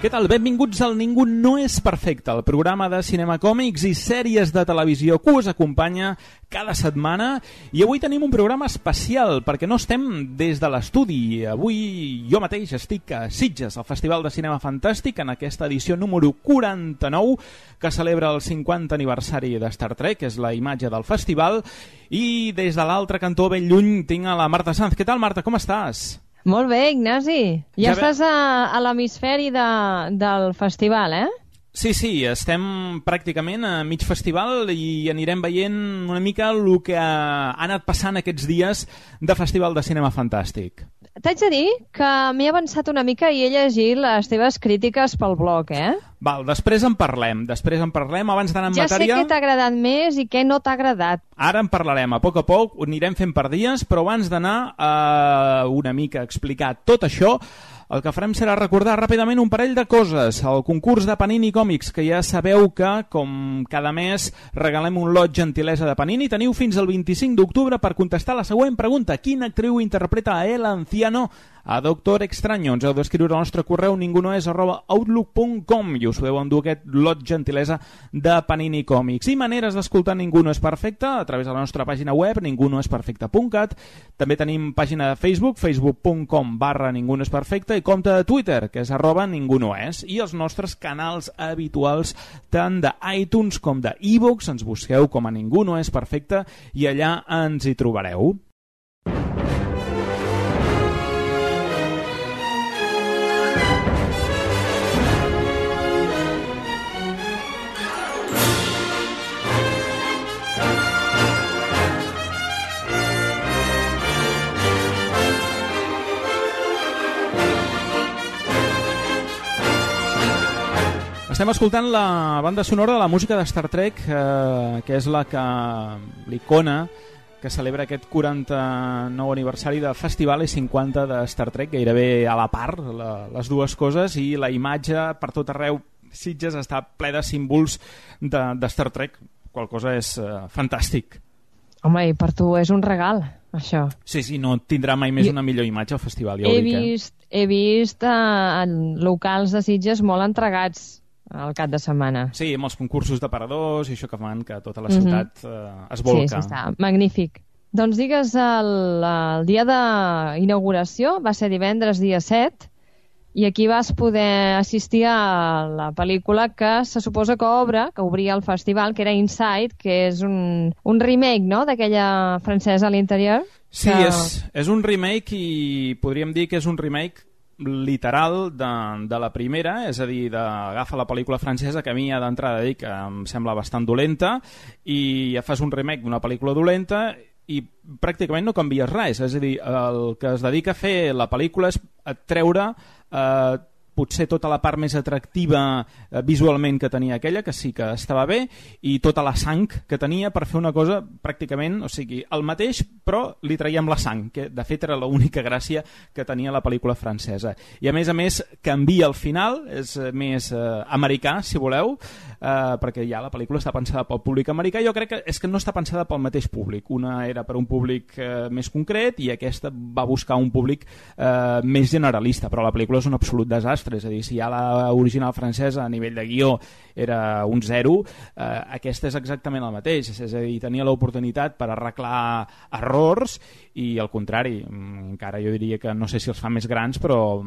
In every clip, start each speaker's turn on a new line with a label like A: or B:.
A: Què tal? Benvinguts al Ningú no és perfecte, el programa de cinema, còmics i sèries de televisió que us acompanya cada setmana. I avui tenim un programa especial perquè no estem des de l'estudi. Avui jo mateix estic a Sitges, al Festival de Cinema Fantàstic, en aquesta edició número 49, que celebra el 50 aniversari de Star Trek, que és la imatge del festival. I des de l'altre cantó, ben lluny, tinc a la Marta Sanz. Què tal, Marta? Com estàs?
B: Molt bé, Ignasi. Ja estàs a l'hemisferi del festival, eh?
A: Sí, estem pràcticament a mig festival i anirem veient una mica el que ha anat passant aquests dies de Festival de Cinema Fantàstic.
B: T'haig de dir que m'he avançat una mica i he llegit les teves crítiques pel blog, eh?
A: Val, després en parlem, abans d'anar en matèria...
B: Ja sé què t'ha agradat més i què no t'ha agradat.
A: Ara en parlarem, a poc, ho anirem fent per dies, però abans d'anar una mica a explicar tot això, el que farem serà recordar ràpidament un parell de coses. El concurs de Panini Còmics, que ja sabeu que, com cada mes, regalem un lot gentilesa de Panini. Teniu fins al 25 d'octubre per contestar la següent pregunta. Quina actriu interpreta a El Anciano a Doctor Extraño? Ens heu d'escriure al nostre correu ningunoes@outlook.com i us podeu endur aquest lot gentilesa de Panini Còmics. I maneres d'escoltar Ningú no és perfecte a través de la nostra pàgina web ningunoesperfecte.cat. També tenim pàgina de Facebook, facebook.com/Ningú no és perfecte, i compte de Twitter, que és @ningunoes, i els nostres canals habituals tant d'iTunes com d'iVoox. Ens busqueu com a Ningú no és perfecte i allà ens hi trobareu. Estem escoltant la banda sonora de la música de Star Trek, que és l'icona que celebra aquest 49 aniversari del festival i 50 de Star Trek, gairebé a la part, les dues coses, i la imatge per tot arreu. Sitges està ple de símbols de Star Trek, qual cosa és fantàstic.
B: Home, i per tu és un regal, això.
A: Sí, no tindrà mai més una millor imatge al festival, ja ho dic.
B: He vist locals de Sitges molt entregats al cap de setmana.
A: Sí, amb els concursos d'aparadors i això que fan que tota la ciutat es volca.
B: Sí, està magnífic. Doncs digues, el dia d'inauguració va ser divendres, dia 7, i aquí vas poder assistir a la pel·lícula que se suposa que obria el festival, que era Inside, que és un remake, no?, d'aquella francesa a l'interior.
A: Sí, és un remake i podríem dir que és un remake literal de la primera, és a dir, agafa la pel·lícula francesa, que a mi d'entrada dic que em sembla bastant dolenta, i ja fas un remake d'una pel·lícula dolenta i pràcticament no canvies res. És a dir, el que es dedica a fer la pel·lícula és treure potser tota la part més atractiva visualment que tenia aquella, que sí que estava bé, i tota la sang que tenia per fer una cosa pràcticament, o sigui, el mateix, però li traiem la sang, que de fet era l'única gràcia que tenia la pel·lícula francesa. I a més canvia el final, és més americà, si voleu, perquè ja la pel·lícula està pensada pel públic americà. Jo crec que és que no està pensada pel mateix públic. Una era per un públic més concret i aquesta va buscar un públic més generalista, però la pel·lícula és un absolut desastre. És a dir, si ja l'original francesa a nivell de guió era un 0, aquesta és exactament el mateix. És a dir, tenia l'oportunitat per arreglar errors i al contrari, encara jo diria que no sé si els fa més grans, però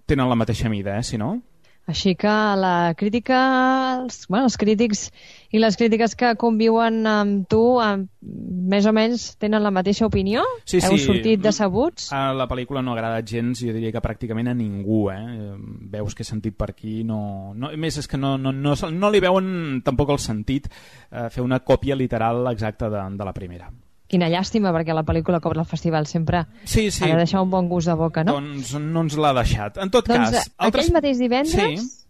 A: tenen la mateixa mida, si no?
B: Així que la crítica, els crítics i les crítiques que conviuen amb tu més o menys tenen la mateixa opinió?
A: Sí.
B: Heu sortit decebuts?
A: A la pel·lícula no ha agradat gens, jo diria que pràcticament a ningú. Veus que he sentit per aquí. Més és que no li veuen tampoc el sentit fer una còpia literal exacta de la primera.
B: Quina llàstima, perquè la pel·lícula cobra el festival sempre ha de deixar un bon gust de boca, no?
A: Doncs no ens l'ha deixat. En tot cas...
B: Aquell mateix divendres,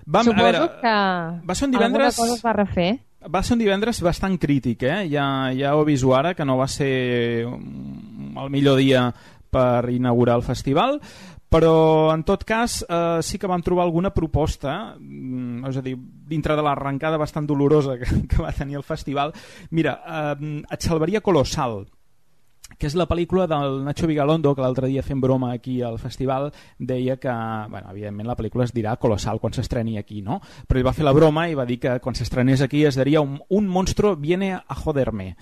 B: suposo que alguna cosa es va refer.
A: Va ser un divendres bastant crític, ja ho aviso ara, que no va ser el millor dia per inaugurar el festival, però en tot cas sí que vam trobar alguna proposta, és a dir, dintre de l'arrencada bastant dolorosa que va tenir el festival. Mira, et salvaria Colossal, que és la pel·lícula del Nacho Vigalondo, que l'altre dia fent broma aquí al festival deia que, bueno, evidentment la pel·lícula es dirà Colossal quan s'estreni aquí, no? Però ell va fer la broma i va dir que quan s'estrenés aquí es diria un monstruo viene a joderme.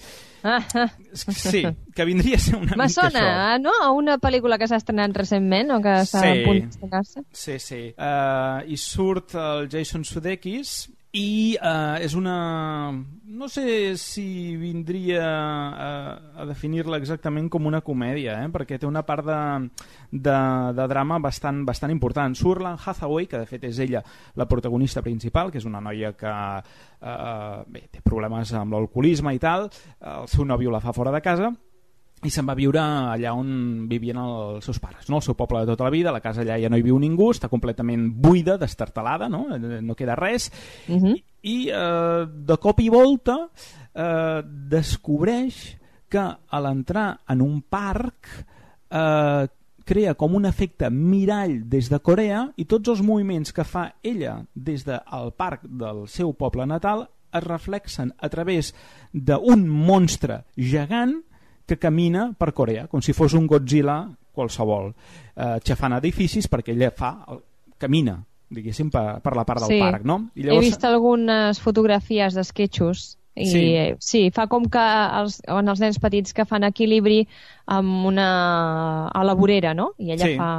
A: Sí, que vindria a ser una mica això.
B: Sona, no? A una pel·lícula que s'ha estrenat recentment o que està a punt d'estrenar-se.
A: Sí. I surt el Jason Sudeikis i és una... No sé si vindria a definir-la exactament com una comèdia, perquè té una part de drama bastant important. Surt l'Anne Hathaway, que de fet és ella la protagonista principal, que és una noia que té problemes amb l'alcoholisme i tal, el seu nòvio la fa fora de casa, i se'n va viure allà on vivien els seus pares, no? El seu poble de tota la vida, la casa allà ja no hi viu ningú, està completament buida, destartalada, no queda res, i de cop i volta descobreix que a l'entrar en un parc crea com un efecte mirall des de Corea i tots els moviments que fa ella des del parc del seu poble natal es reflexen a través d'un monstre gegant que camina per Corea, com si fos un Godzilla qualsevol, xafant edificis perquè ella camina, diguéssim, per la part del parc, no? I llavors... He
B: vist algunes fotografies d'esquetxos i sí, fa com que els nens petits que fan equilibri a la vorera, no? I ella fa...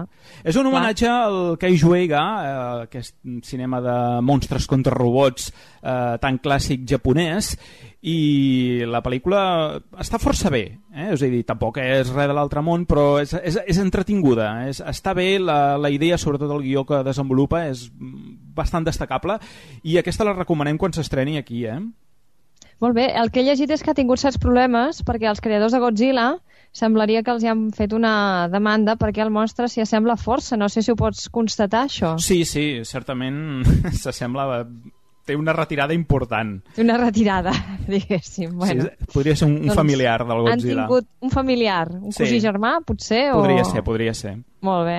A: És un homenatge al Kei Jueiga, aquest cinema de monstres contra robots tan clàssic japonès, i la pel·lícula està força bé, és a dir, tampoc és res de l'altre món, però és entretinguda, està bé, la idea, sobretot el guió que desenvolupa, és bastant destacable, i aquesta la recomanem quan s'estreni aquí,
B: Molt bé, el que he llegit és que ha tingut certs problemes perquè els creadors de Godzilla semblaria que els hi han fet una demanda perquè el monstre s'hi assembla força, no sé si ho pots constatar, això.
A: Sí, certament s'assembla... Té una retirada important.
B: Té una retirada, diguéssim. Bueno.
A: Sí, podria ser un familiar del Godzilla.
B: Han tingut un familiar, un cosí germà, potser?
A: Podria ser.
B: Molt bé.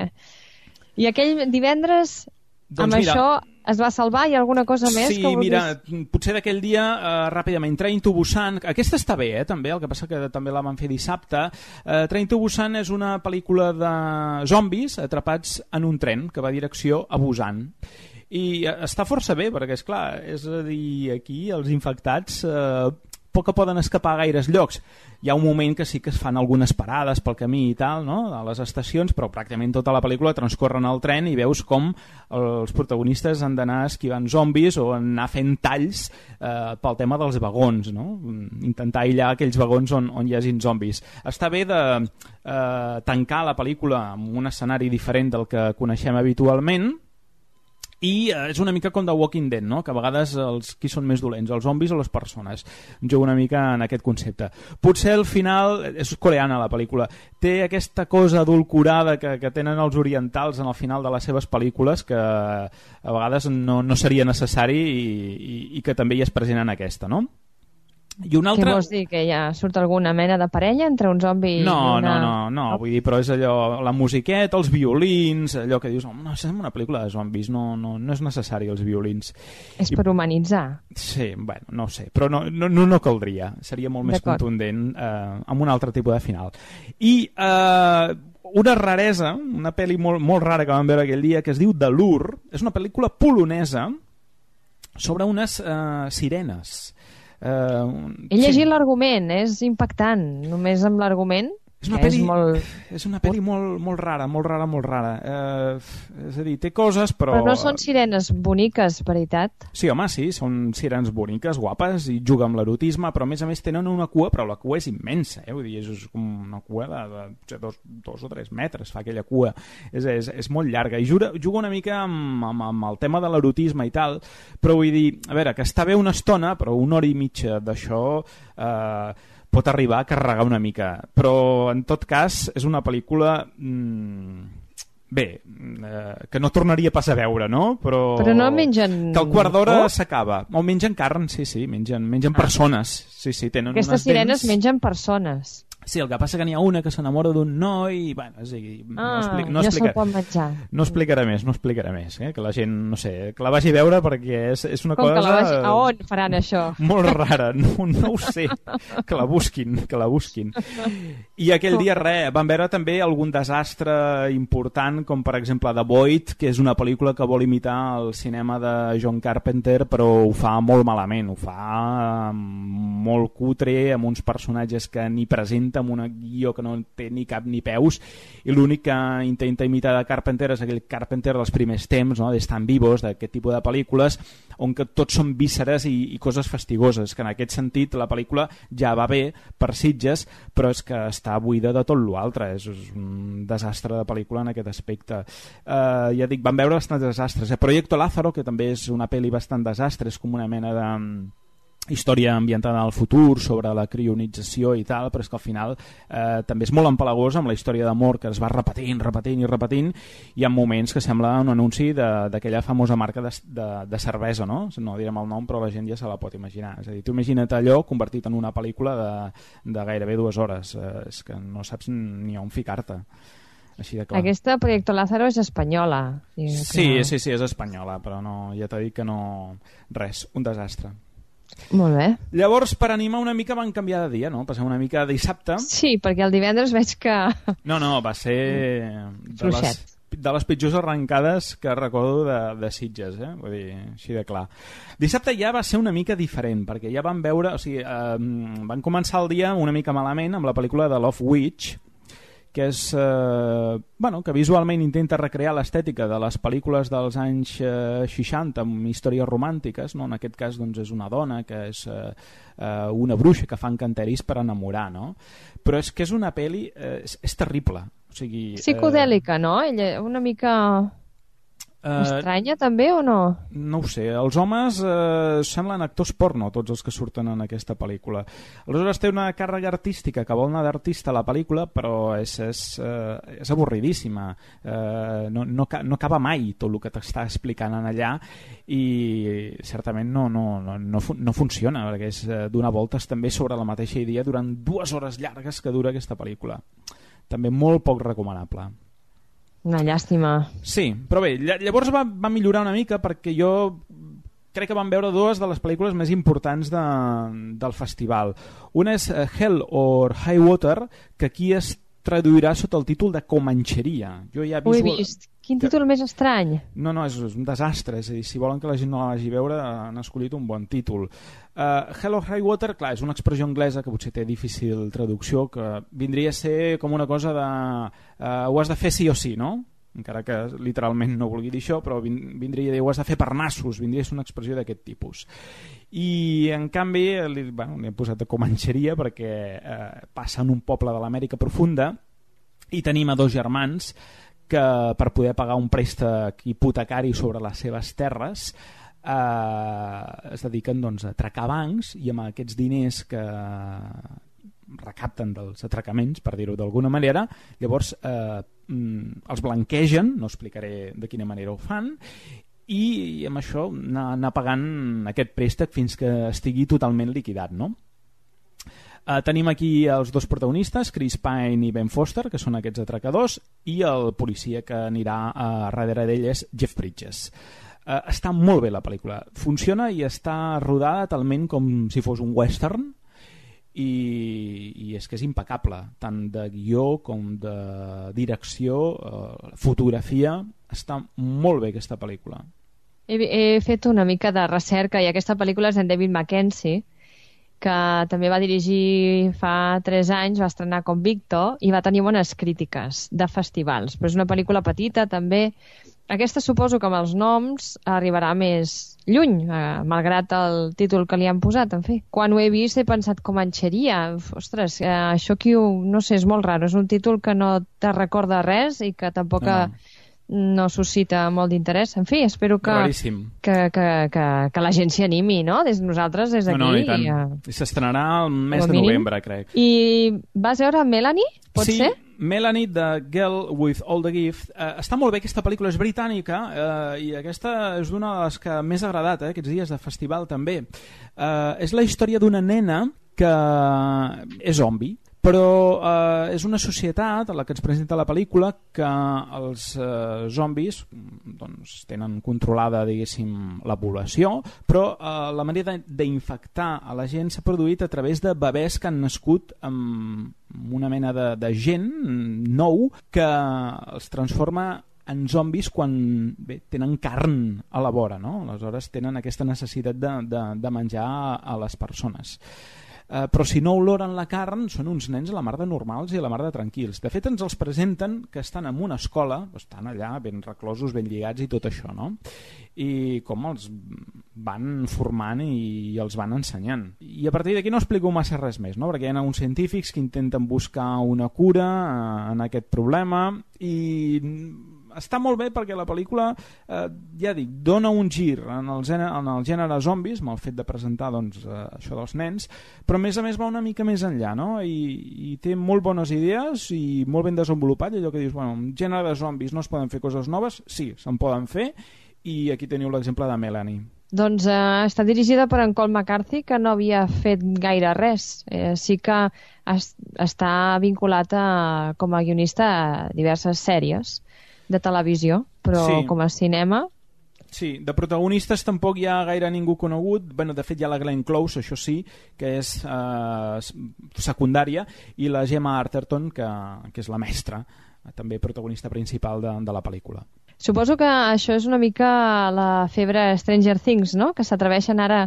B: I aquell divendres, amb això, es va salvar? Hi ha alguna cosa més que vulguis?
A: Sí, mira, potser d'aquell dia, ràpidament, Train to Busan, aquesta està bé, també, el que passa que també la van fer dissabte. Train to Busan és una pel·lícula de zombis atrapats en un tren que va a direcció a Busan. I està força bé, perquè, esclar, és a dir, aquí els infectats poc que poden escapar a gaires llocs. Hi ha un moment que sí que es fan algunes parades pel camí i tal, no?, a les estacions, però pràcticament tota la pel·lícula transcorre en el tren i veus com els protagonistes han d'anar esquivant zombis o anar fent talls pel tema dels vagons, no?, intentar aïllar aquells vagons on hi hagin zombis. Està bé de tancar la pel·lícula amb un escenari diferent del que coneixem habitualment, i és una mica com The Walking Dead, no?, que a vegades qui són més dolents, els zombis o les persones. Jugo una mica en aquest concepte. Potser al final, és coreana la pel·lícula, té aquesta cosa adulcorada que tenen els orientals en el final de les seves pel·lícules que a vegades no seria necessari i que també hi és present en aquesta, no? I un altre...
B: Què vols dir? Que ja surt alguna mena de parella entre un zombi i una...
A: No, vull dir, però és allò, la musiqueta, els violins, allò que dius, no, és una pel·lícula de zombis, no és necessari els violins.
B: És per humanitzar.
A: Sí, bueno, no ho sé, però no caldria, seria molt més contundent amb un altre tipus de final. I una raresa, una pel·li molt rara que vam veure aquell dia, que es diu The Lure, és una pel·lícula polonesa sobre unes sirenes.
B: He llegit l'argument, és impactant, només amb l'argument.
A: És una pel·li molt rara. És a dir, té coses, però
B: no són sirenes boniques, veritat?
A: Sí, home, sí, són sirenes boniques, guapes, i juga amb l'erotisme, però a més tenen una cua, però la cua és immensa, vull dir, és com una cua de 2 o 3 metres, fa aquella cua, és molt llarga, i juga una mica amb el tema de l'erotisme i tal, però vull dir, a veure, que està bé una estona, però 1 hora i mitja d'això pot arribar a carregar una mica, però en tot cas és una pel·lícula que no tornaria pas a veure, no? Però
B: no mengen...
A: Que al quart d'hora s'acaba. O mengen carn, sí, mengen persones. Sí, tenen
B: aquestes sirenes mengen persones.
A: Sí, el que passa que n'hi ha una que s'enamora d'un noi i, bueno, és a dir,
B: ja se'l pot menjar.
A: No explicaré més, que la gent, no sé, que la vagi a veure perquè és una cosa...
B: Que la vagi... A on faran això?
A: Molt rara, no ho sé, que la busquin. I aquell dia, van veure també algun desastre important, com per exemple The Void, que és una pel·lícula que vol imitar el cinema de John Carpenter, però ho fa molt malament, ho fa molt cutre, amb uns personatges que ni presenten, amb un guió que no té ni cap ni peus, i l'únic que intenta imitar de Carpenter és aquell Carpenter dels primers temps, no? d'Estan Vivos, d'aquest tipus de pel·lícules on que tots són vísceres i coses fastigoses, que en aquest sentit la pel·lícula ja va bé per Sitges, però és que està buida de tot l'altre, és un desastre de pel·lícula en aquest aspecte. Ja dic, van veure bastants desastres. Proyecto Lázaro, que també és una pel·li bastant desastre, és com una mena de història ambientada al futur sobre la crionització i tal, però és que al final també és molt empalagosa amb la història d'amor que es va repetint i en moments que sembla un anunci d'aquella famosa marca de cervesa, no direm el nom, però la gent ja se la pot imaginar. És a dir, tu imagina't allò convertit en una pel·lícula de gairebé 2 hores, és que no saps ni on ficar-te. Així de clar.
B: Aquesta Proyecto Lázaro és espanyola.
A: Sí, és espanyola, però no, ja t'he dit que no... Res, un desastre.
B: Molt bé.
A: Llavors, per animar una mica, van canviar de dia, no? Passem una mica de dissabte.
B: Sí, perquè el divendres veig que...
A: No, va ser de les pitjors arrencades que recordo de Sitges, vull dir, així de clar. Dissabte ja va ser una mica diferent, perquè ja van veure... O sigui, van començar el dia una mica malament amb la pel·lícula de Love Witch, que és que visualment intenta recrear l'estètica de les pel·lícules dels anys 60 amb històries romàntiques, no? En aquest cas doncs, és una dona que és una bruixa que fa encanteris per enamorar, no? Però és que és una pel·li és terrible, o sigui,
B: psicodèlica, no? Ella una mica estranya també o no?
A: No ho sé, els homes semblen actors porno, tots els que surten en aquesta pel·lícula. Aleshores té una càrrega artística que vol anar d'artista a la pel·lícula, però és avorridíssima, no acaba mai tot el que t'està explicant en allà i certament no funciona, perquè és donar voltes també sobre la mateixa idea durant 2 hores llargues que dura aquesta pel·lícula. També molt poc recomanable.
B: Una llàstima.
A: Sí, però bé, llavors va millorar una mica perquè jo crec que vam veure 2 de les pel·lícules més importants del festival. Una és Hell or High Water, que aquí es traduirà sota el títol de Comanxeria. Jo ja
B: ho he vist. Quin títol més estrany.
A: No, és un desastre. És a dir, si volen que la gent no la vagi a veure, han escollit un bon títol. Hell or High Water, clar, és una expressió anglesa que potser té difícil traducció, que vindria a ser com una cosa de ho has de fer sí o sí, no? Encara que literalment no vulgui dir això, però vindria a dir ho has de fer per nassos, vindria a ser una expressió d'aquest tipus. I en canvi li he posat de Comanxeria perquè passa en un poble de l'Amèrica profunda i tenim a 2 germans que per poder pagar un préstec hipotecari sobre les seves terres es dediquen doncs, a atracar bancs i amb aquests diners que recapten dels atracaments, per dir-ho d'alguna manera, llavors els blanquegen, no explicaré de quina manera ho fan, i amb això anar pagant aquest préstec fins que estigui totalment liquidat, no? Tenim aquí els 2 protagonistes, Chris Pine i Ben Foster, que són aquests atracadors, i el policia que anirà darrere d'ell és Jeff Bridges. Està molt bé la pel·lícula, funciona i està rodada talment com si fos un western i és que és impecable, tant de guió com de direcció, fotografia, està molt bé aquesta pel·lícula.
B: He fet una mica de recerca i aquesta pel·lícula és d'en David Mackenzie, que també va dirigir fa 3 anys, va estrenar com Victor i va tenir bones crítiques de festivals, però és una pel·lícula petita també. Aquesta suposo que amb els noms arribarà més lluny, malgrat el títol que li han posat. En fi, quan ho he vist he pensat Comanxeria. Ostres, això aquí no sé, és molt raro. És un títol que no te recorda res i que tampoc no suscita molt d'interès. En fi, espero que la gent s'hi animi, no? Nosaltres des d'aquí.
A: No, i tant. I s'estrenarà el mes de novembre, crec.
B: I vas veure Melanie? Pot ser?
A: Melanie, de Girl with All the Gift. Està molt bé, aquesta pel·lícula és britànica i aquesta és una de les que més ha agradat aquests dies de festival també. És la història d'una nena que és zombi, Però és una societat a la que ens presenta la pel·lícula que els zombis doncs, tenen controlada, diguéssim, la població, però la manera d'infectar a la gent s'ha produït a través de bebès que han nascut amb una mena de gent nou que els transforma en zombis quan tenen carn a la vora, no? Aleshores tenen aquesta necessitat de menjar a les persones. Però si no oloren la carn són uns nens a la mar de normals i a la mar de tranquils. De fet ens els presenten que estan en una escola, estan allà ben reclosos, ben lligats i tot això, no? I com els van formant i els van ensenyant. I a partir d'aquí no explico massa res més, no? Perquè hi ha uns científics que intenten buscar una cura en aquest problema i està molt bé perquè la pel·lícula, ja dic, dona un gir en el gènere zombis, amb el fet de presentar doncs, això dels nens, però a més va una mica més enllà, no? I té molt bones idees i molt ben desenvolupat, allò que dius, bueno, en gènere de zombis no es poden fer coses noves, sí, se'n poden fer, i aquí teniu l'exemple de Melanie.
B: Doncs està dirigida per en Colm McCarthy, que no havia fet gaire res. Sí que està vinculat com a guionista a diverses sèries de televisió, però sí. Com a cinema...
A: Sí, de protagonistes tampoc hi ha gaire ningú conegut. Bueno, de fet hi ha la Glenn Close, això sí, que és secundària, i la Gemma Arterton, que és la mestra, també protagonista principal de la pel·lícula.
B: Suposo que això és una mica la febre Stranger Things, no? Que s'atreveixen ara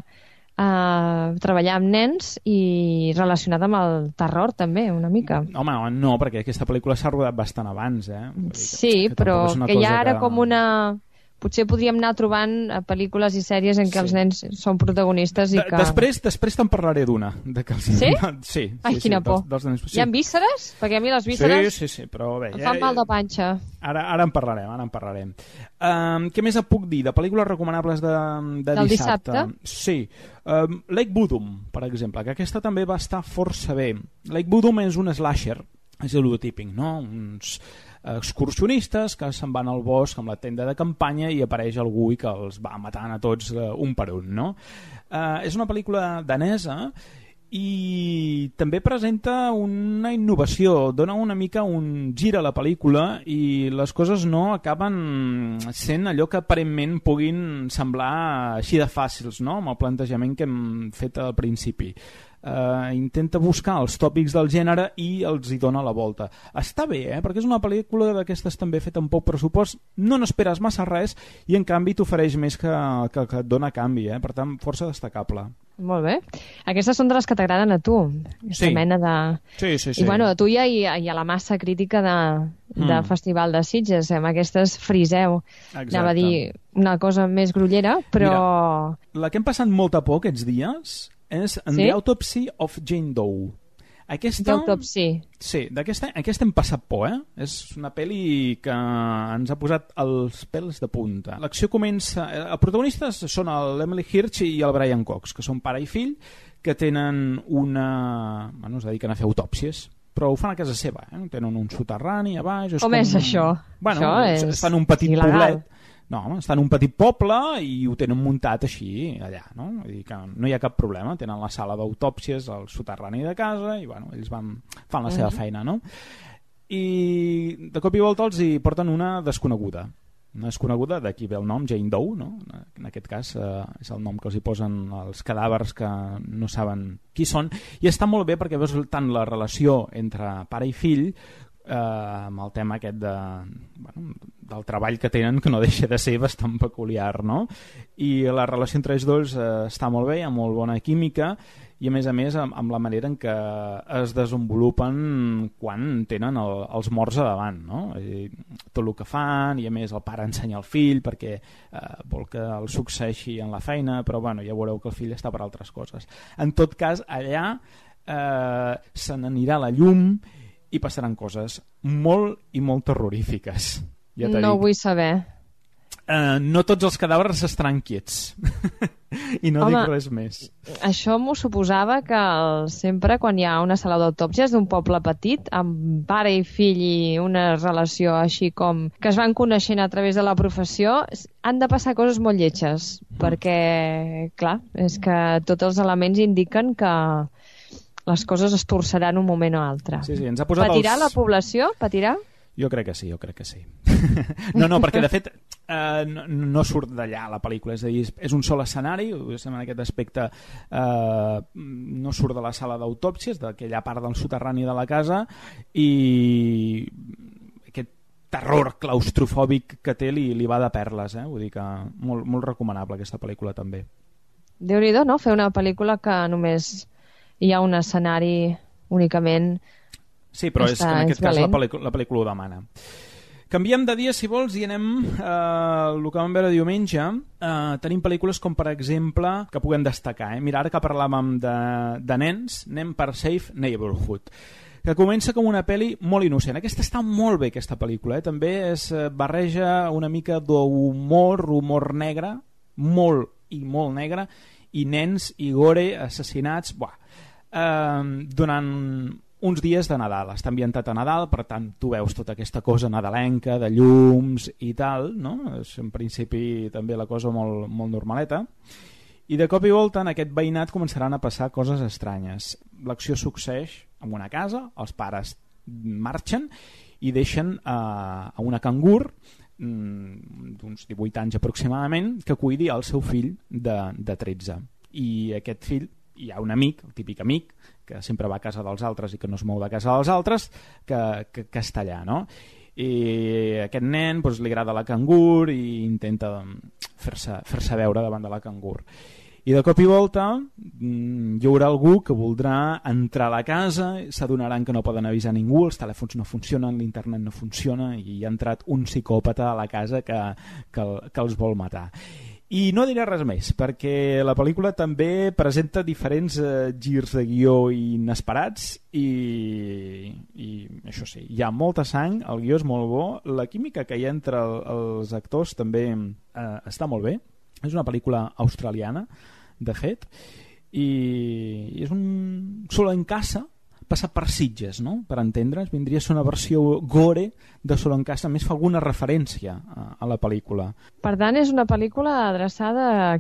B: a treballar amb nens i relacionat amb el terror també, una mica.
A: Home, no, perquè aquesta pel·lícula s'ha rodat bastant abans,
B: Sí, però que hi ha ara com una... Potser podríem anar trobant pel·lícules i sèries en què els nens són protagonistes i que...
A: Després te'n parlaré d'una.
B: Sí?
A: Sí.
B: Ai, quina por.
A: Dels sí.
B: Hi ha vísceres? Perquè a mi les vísceres
A: sí, però bé,
B: em fan mal de panxa.
A: Ara en parlarem. Què més et puc dir? De pel·lícules recomanables de dissabte? Sí. Lake Budum, per exemple, que aquesta també va estar força bé. Lake Budum és un slasher, és el típic, no? Uns excursionistes que se'n van al bosc amb la tenda de campanya i apareix algú i que els va matant a tots un per un, no? És una pel·lícula danesa i també presenta una innovació, dona una mica un gir a la pel·lícula i les coses no acaben sent allò que aparentment puguin semblar així de fàcils, no? Amb el plantejament que hem fet al principi. Intenta buscar els tòpics del gènere i els hi dona la volta. Està bé, perquè és una pel·lícula d'aquestes també feta amb poc pressupost, no n'esperes massa res i en canvi t'ofereix més que et dona canvi, per tant força destacable.
B: Molt bé. Aquestes són de les que t'agraden a tu.
A: Sí.
B: Mena de...
A: Sí.
B: I bueno, a tu i a la massa crítica del Festival de Sitges, amb aquestes friseu.
A: Exacte.
B: Anava a dir una cosa més grollera, però...
A: Mira, la que hem passat molta por aquests dies és The Autopsy of Jane Doe. Aquesta...
B: Autopsy.
A: Sí, aquesta hem passat por, És una pel·li que ens ha posat els pèls de punta. L'acció comença... Els protagonistes són l'Emily Hirsch i el Brian Cox, que són pare i fill, que tenen una... Bueno, es dediquen a fer autòpsies, però ho fan a casa seva, Tenen un soterrani a baix...
B: Com és això?
A: Bueno,
B: això és
A: fan un petit
B: il·legal.
A: poblet. No, està en un petit poble i ho tenen muntat així allà, no? Vull dir que no hi ha cap problema, tenen la sala d'autòpsies al soterrani de casa i bueno, ells fan la seva feina, no? I de cop i volta els hi porten una desconeguda, d'aquí ve el nom, Jane Doe, no? En aquest cas és el nom que els hi posen els cadàvers que no saben qui són, i està molt bé perquè veus tant la relació entre pare i fill amb el tema aquest del treball que tenen, que no deixa de ser bastant peculiar, no? I la relació entre ells dos està molt bé, hi ha molt bona química i a més amb la manera en què es desenvolupen quan tenen els morts a davant, no? Tot el que fan, i a més el pare ensenya al fill perquè vol que el succeeixi en la feina, però bueno, ja veureu que el fill està per altres coses. En tot cas, allà se n'anirà la llum i passaran coses molt i molt terrorífiques. Ja
B: no vull saber.
A: No tots els cadàvers estaran quiets. I no dic res més.
B: Això m'ho suposava que sempre quan hi ha una sala d'autòpsies d'un poble petit, amb pare i fill i una relació així com que es van coneixent a través de la professió, han de passar coses molt lletges, perquè, clar, és que tots els elements indiquen que les coses es torçaran un moment o altre.
A: Sí, ens ha posat
B: Patirà la població? Patirà?
A: Jo crec que sí. No, perquè de fet no surt d'allà la pel·lícula, és a dir, és un sol escenari, en aquest aspecte no surt de la sala d'autòpsies, d'aquella part del soterrani de la casa, i aquest terror claustrofòbic que té li va de perles, vull dir que molt recomanable aquesta pel·lícula també.
B: Déu-n'hi-do, no? Fer una pel·lícula que només hi ha un escenari únicament.
A: Sí, però és que en aquest cas la pel·lícula ho demana. Canviem de dia, si vols, i anem el que vam veure diumenge. Tenim pel·lícules com, per exemple, que puguem destacar. Mira, ara que parlàvem de nens, anem per Safe Neighborhood, que comença com una pel·li molt innocent. Aquesta està molt bé, aquesta pel·lícula. També es barreja una mica humor negre, molt i molt negre, i nens i gore, assassinats, durant uns dies de Nadal. Està ambientat a Nadal, per tant tu veus tota aquesta cosa nadalenca de llums i tal, no? És en principi també la cosa molt normaleta, i de cop i volta en aquest veïnat començaran a passar coses estranyes. L'acció succeeix en una casa, els pares marxen i deixen a una cangur d'uns 18 anys aproximadament que cuidi el seu fill de 13, i aquest fill, hi ha un amic, el típic amic que sempre va a casa dels altres i que no es mou de casa dels altres, que està allà, no? I aquest nen li agrada la cangur i intenta fer-se veure davant de la cangur, i de cop i volta hi haurà algú que voldrà entrar a la casa, s'adonaran que no poden avisar ningú, els telèfons no funcionen, l'internet no funciona, i ha entrat un psicòpata a la casa que els vol matar. I no diré res més, perquè la pel·lícula també presenta diferents girs de guió inesperats, i això sí, hi ha molta sang, el guió és molt bo, la química que hi ha entre els actors també està molt bé. És una pel·lícula australiana, de fet, i és un Solo en casa passat per Sitges, no? Per entendre's, vindria a ser una versió gore de Solo en casa, més fa alguna referència a la pel·lícula.
B: Per tant, és una pel·lícula adreçada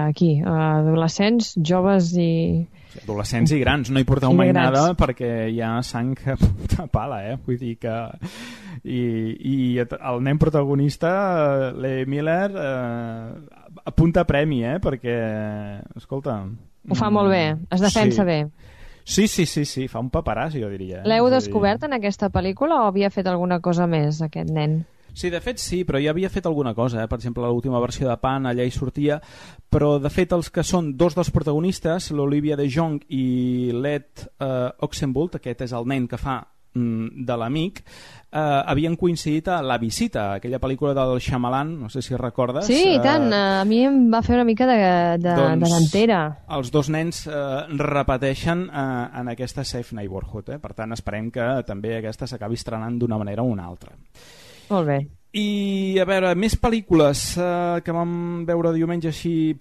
B: aquí, a adolescents, joves i...
A: Adolescents i grans, no hi porteu mai nada perquè hi ha sang a punta pala, vull dir que... I el nen protagonista, Lee Miller, apunta a premi, perquè, escolta...
B: Ho fa molt bé, es defensa bé.
A: Sí, fa un paperàs, jo diria.
B: L'heu descobert en aquesta pel·lícula o havia fet alguna cosa més, aquest nen?
A: Sí, de fet sí, però ja havia fet alguna cosa, per exemple, l'última versió de Pan, allà hi sortia, però de fet els que són dos dels protagonistes, l'Olivia de Jong i l'Ed Oxenbould, aquest és el nen que fa de l'amic, havien coincidit a La visita, aquella pel·lícula del Shyamalan, no sé si recordes.
B: Sí, i tant, a mi em va fer una mica de dentera.
A: Els dos nens repeteixen en aquesta Safe Neighborhood, per tant esperem que també aquesta s'acabi estrenant d'una manera o una altra.
B: Molt bé.
A: I a veure, més pel·lícules que vam veure diumenge així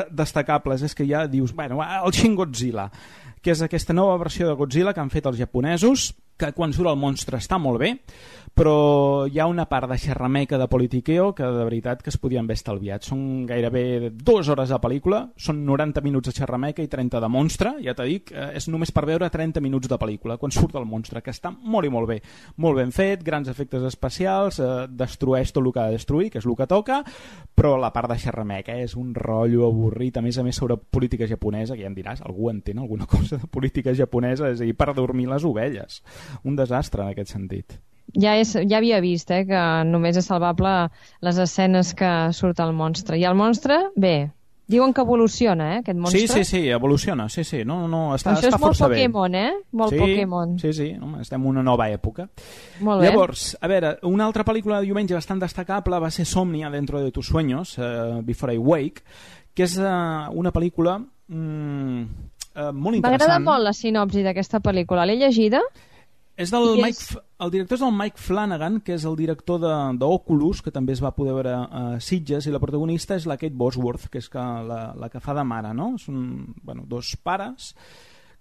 A: destacables, és que ja dius, bueno, el Shin Godzilla, que és aquesta nova versió de Godzilla que han fet els japonesos, que quan surt el monstre està molt bé, però hi ha una part de xerrameca de politiqueo que de veritat que es podien haver estalviat. Són gairebé 2 hores de pel·lícula, són 90 minuts de xerrameca i 30 de monstre, ja t'he dit, és només per veure 30 minuts de pel·lícula quan surt el monstre, que està molt i molt bé, molt ben fet, grans efectes especials, destrueix tot el que ha de destruir, que és el que toca, però la part de xerrameca és un rotllo avorrit, a més sobre política japonesa, que ja em diràs, algú entén alguna cosa de política japonesa, és a dir, per dormir les ovelles. Un desastre en aquest sentit.
B: Ja havia vist que només és salvable les escenes que surt el monstre. I el monstre, bé, diuen que evoluciona, aquest monstre.
A: Sí, evoluciona, sí. No, està
B: això és
A: força
B: molt Pokémon,
A: bé.
B: Molt Pokémon.
A: Sí, estem en una nova època.
B: Molt bé.
A: Llavors, a veure, una altra pel·lícula de diumenge bastant destacable va ser Somnia dentro de tus sueños, Before I Wake, que és una pel·lícula molt interessant.
B: M'agrada molt la sinopsi d'aquesta pel·lícula. L'he llegida?
A: El director és el Mike Flanagan, que és el director d'Oculus, que també es va poder veure a Sitges, i la protagonista és la Kate Bosworth, que és la que fa de mare, no? Són dos pares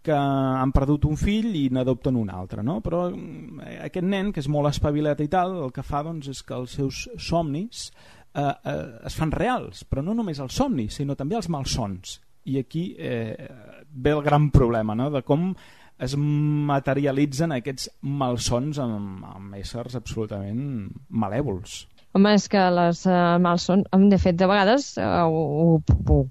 A: que han perdut un fill i n'adopten un altre, no? Però aquest nen, que és molt espavilat i tal, el que fa és que els seus somnis es fan reals, però no només els somnis, sinó també els malsons. I aquí ve el gran problema, no? De com es materialitzen aquests malsons amb éssers absolutament malèvols.
B: Home, és que les malsons... De fet, de vegades ho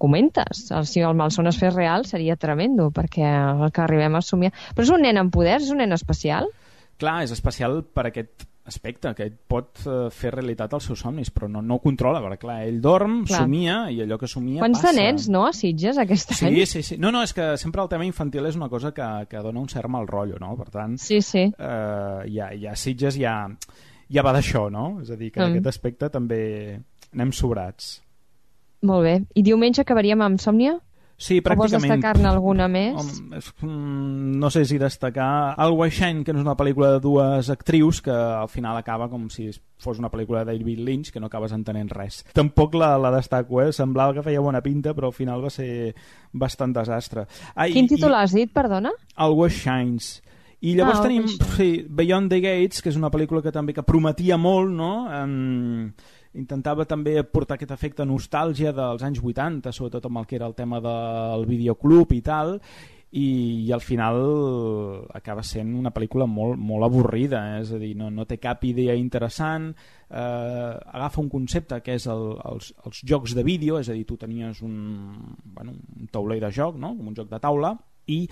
B: comentes. Si el malson es fes real seria tremendo, perquè el que arribem a somiar... Però és un nen amb poders? És un nen especial?
A: Clar, és especial per aquest aspecte, que ell pot fer realitat els seus somnis, però no ho controla, perquè clar, ell dorm, somia, i allò que somia
B: Quants
A: passa.
B: De nens, no?, a Sitges aquest any?
A: Sí. No, és que sempre el tema infantil és una cosa que dona un cert mal rotllo, no? Per tant,
B: sí.
A: Ja Sitges ja va d'això, no? És a dir, que en aquest aspecte també anem sobrats.
B: Molt bé. I diumenge acabaríem amb Sòmnia?
A: Sí, pràcticament.
B: O vols destacar-ne alguna més?
A: No sé si destacar El Washington, que no és una pel·lícula de dues actrius, que al final acaba com si fos una pel·lícula de David Lynch, que no acabes entenent res. Tampoc la destaco, semblava que feia bona pinta, però al final va ser bastant desastre.
B: Quin títol has dit, perdona?
A: El Washington. I llavors tenim Beyond the Gates, que és una pel·lícula que també prometia molt, no? Intentava també portar aquest efecte nostàlgia dels anys 80, sobretot amb el que era el tema del videoclub i tal, i al final acaba sent una pel·lícula molt, molt avorrida, és a dir, no té cap idea interessant, agafa un concepte que és els jocs de vídeo, és a dir, tu tenies un tauler de joc, no? Com un joc de taula, i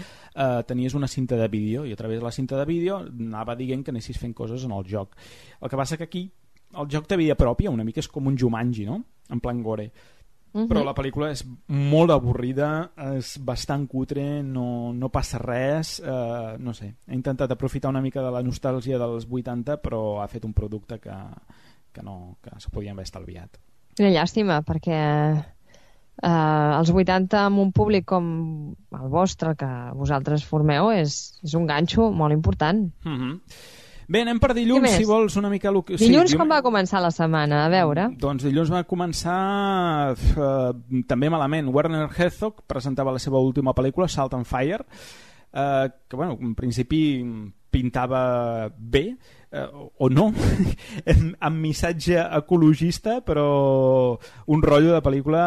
A: tenies una cinta de vídeo, i a través de la cinta de vídeo anava dient que anessis fent coses en el joc. El que passa que aquí el joc té vida pròpia, una mica és com un Jumanji, no? En plan gore. Però la pel·lícula és molt avorrida, és bastant cutre, no passa res, no sé. He intentat aprofitar una mica de la nostàlgia dels 80, però ha fet un producte que se podien haver estalviat.
B: Quina llàstima, perquè els 80 amb un públic com el vostre, que vosaltres formeu, és un ganxo molt important.
A: Bé, anem per dilluns, si vols, una mica...
B: Dilluns com va començar la setmana? A veure.
A: Doncs dilluns va començar també malament. Werner Herzog presentava la seva última pel·lícula, Salt and Fire, que, bueno, en principi pintava bé, o no, amb missatge ecologista, però un rotllo de pel·lícula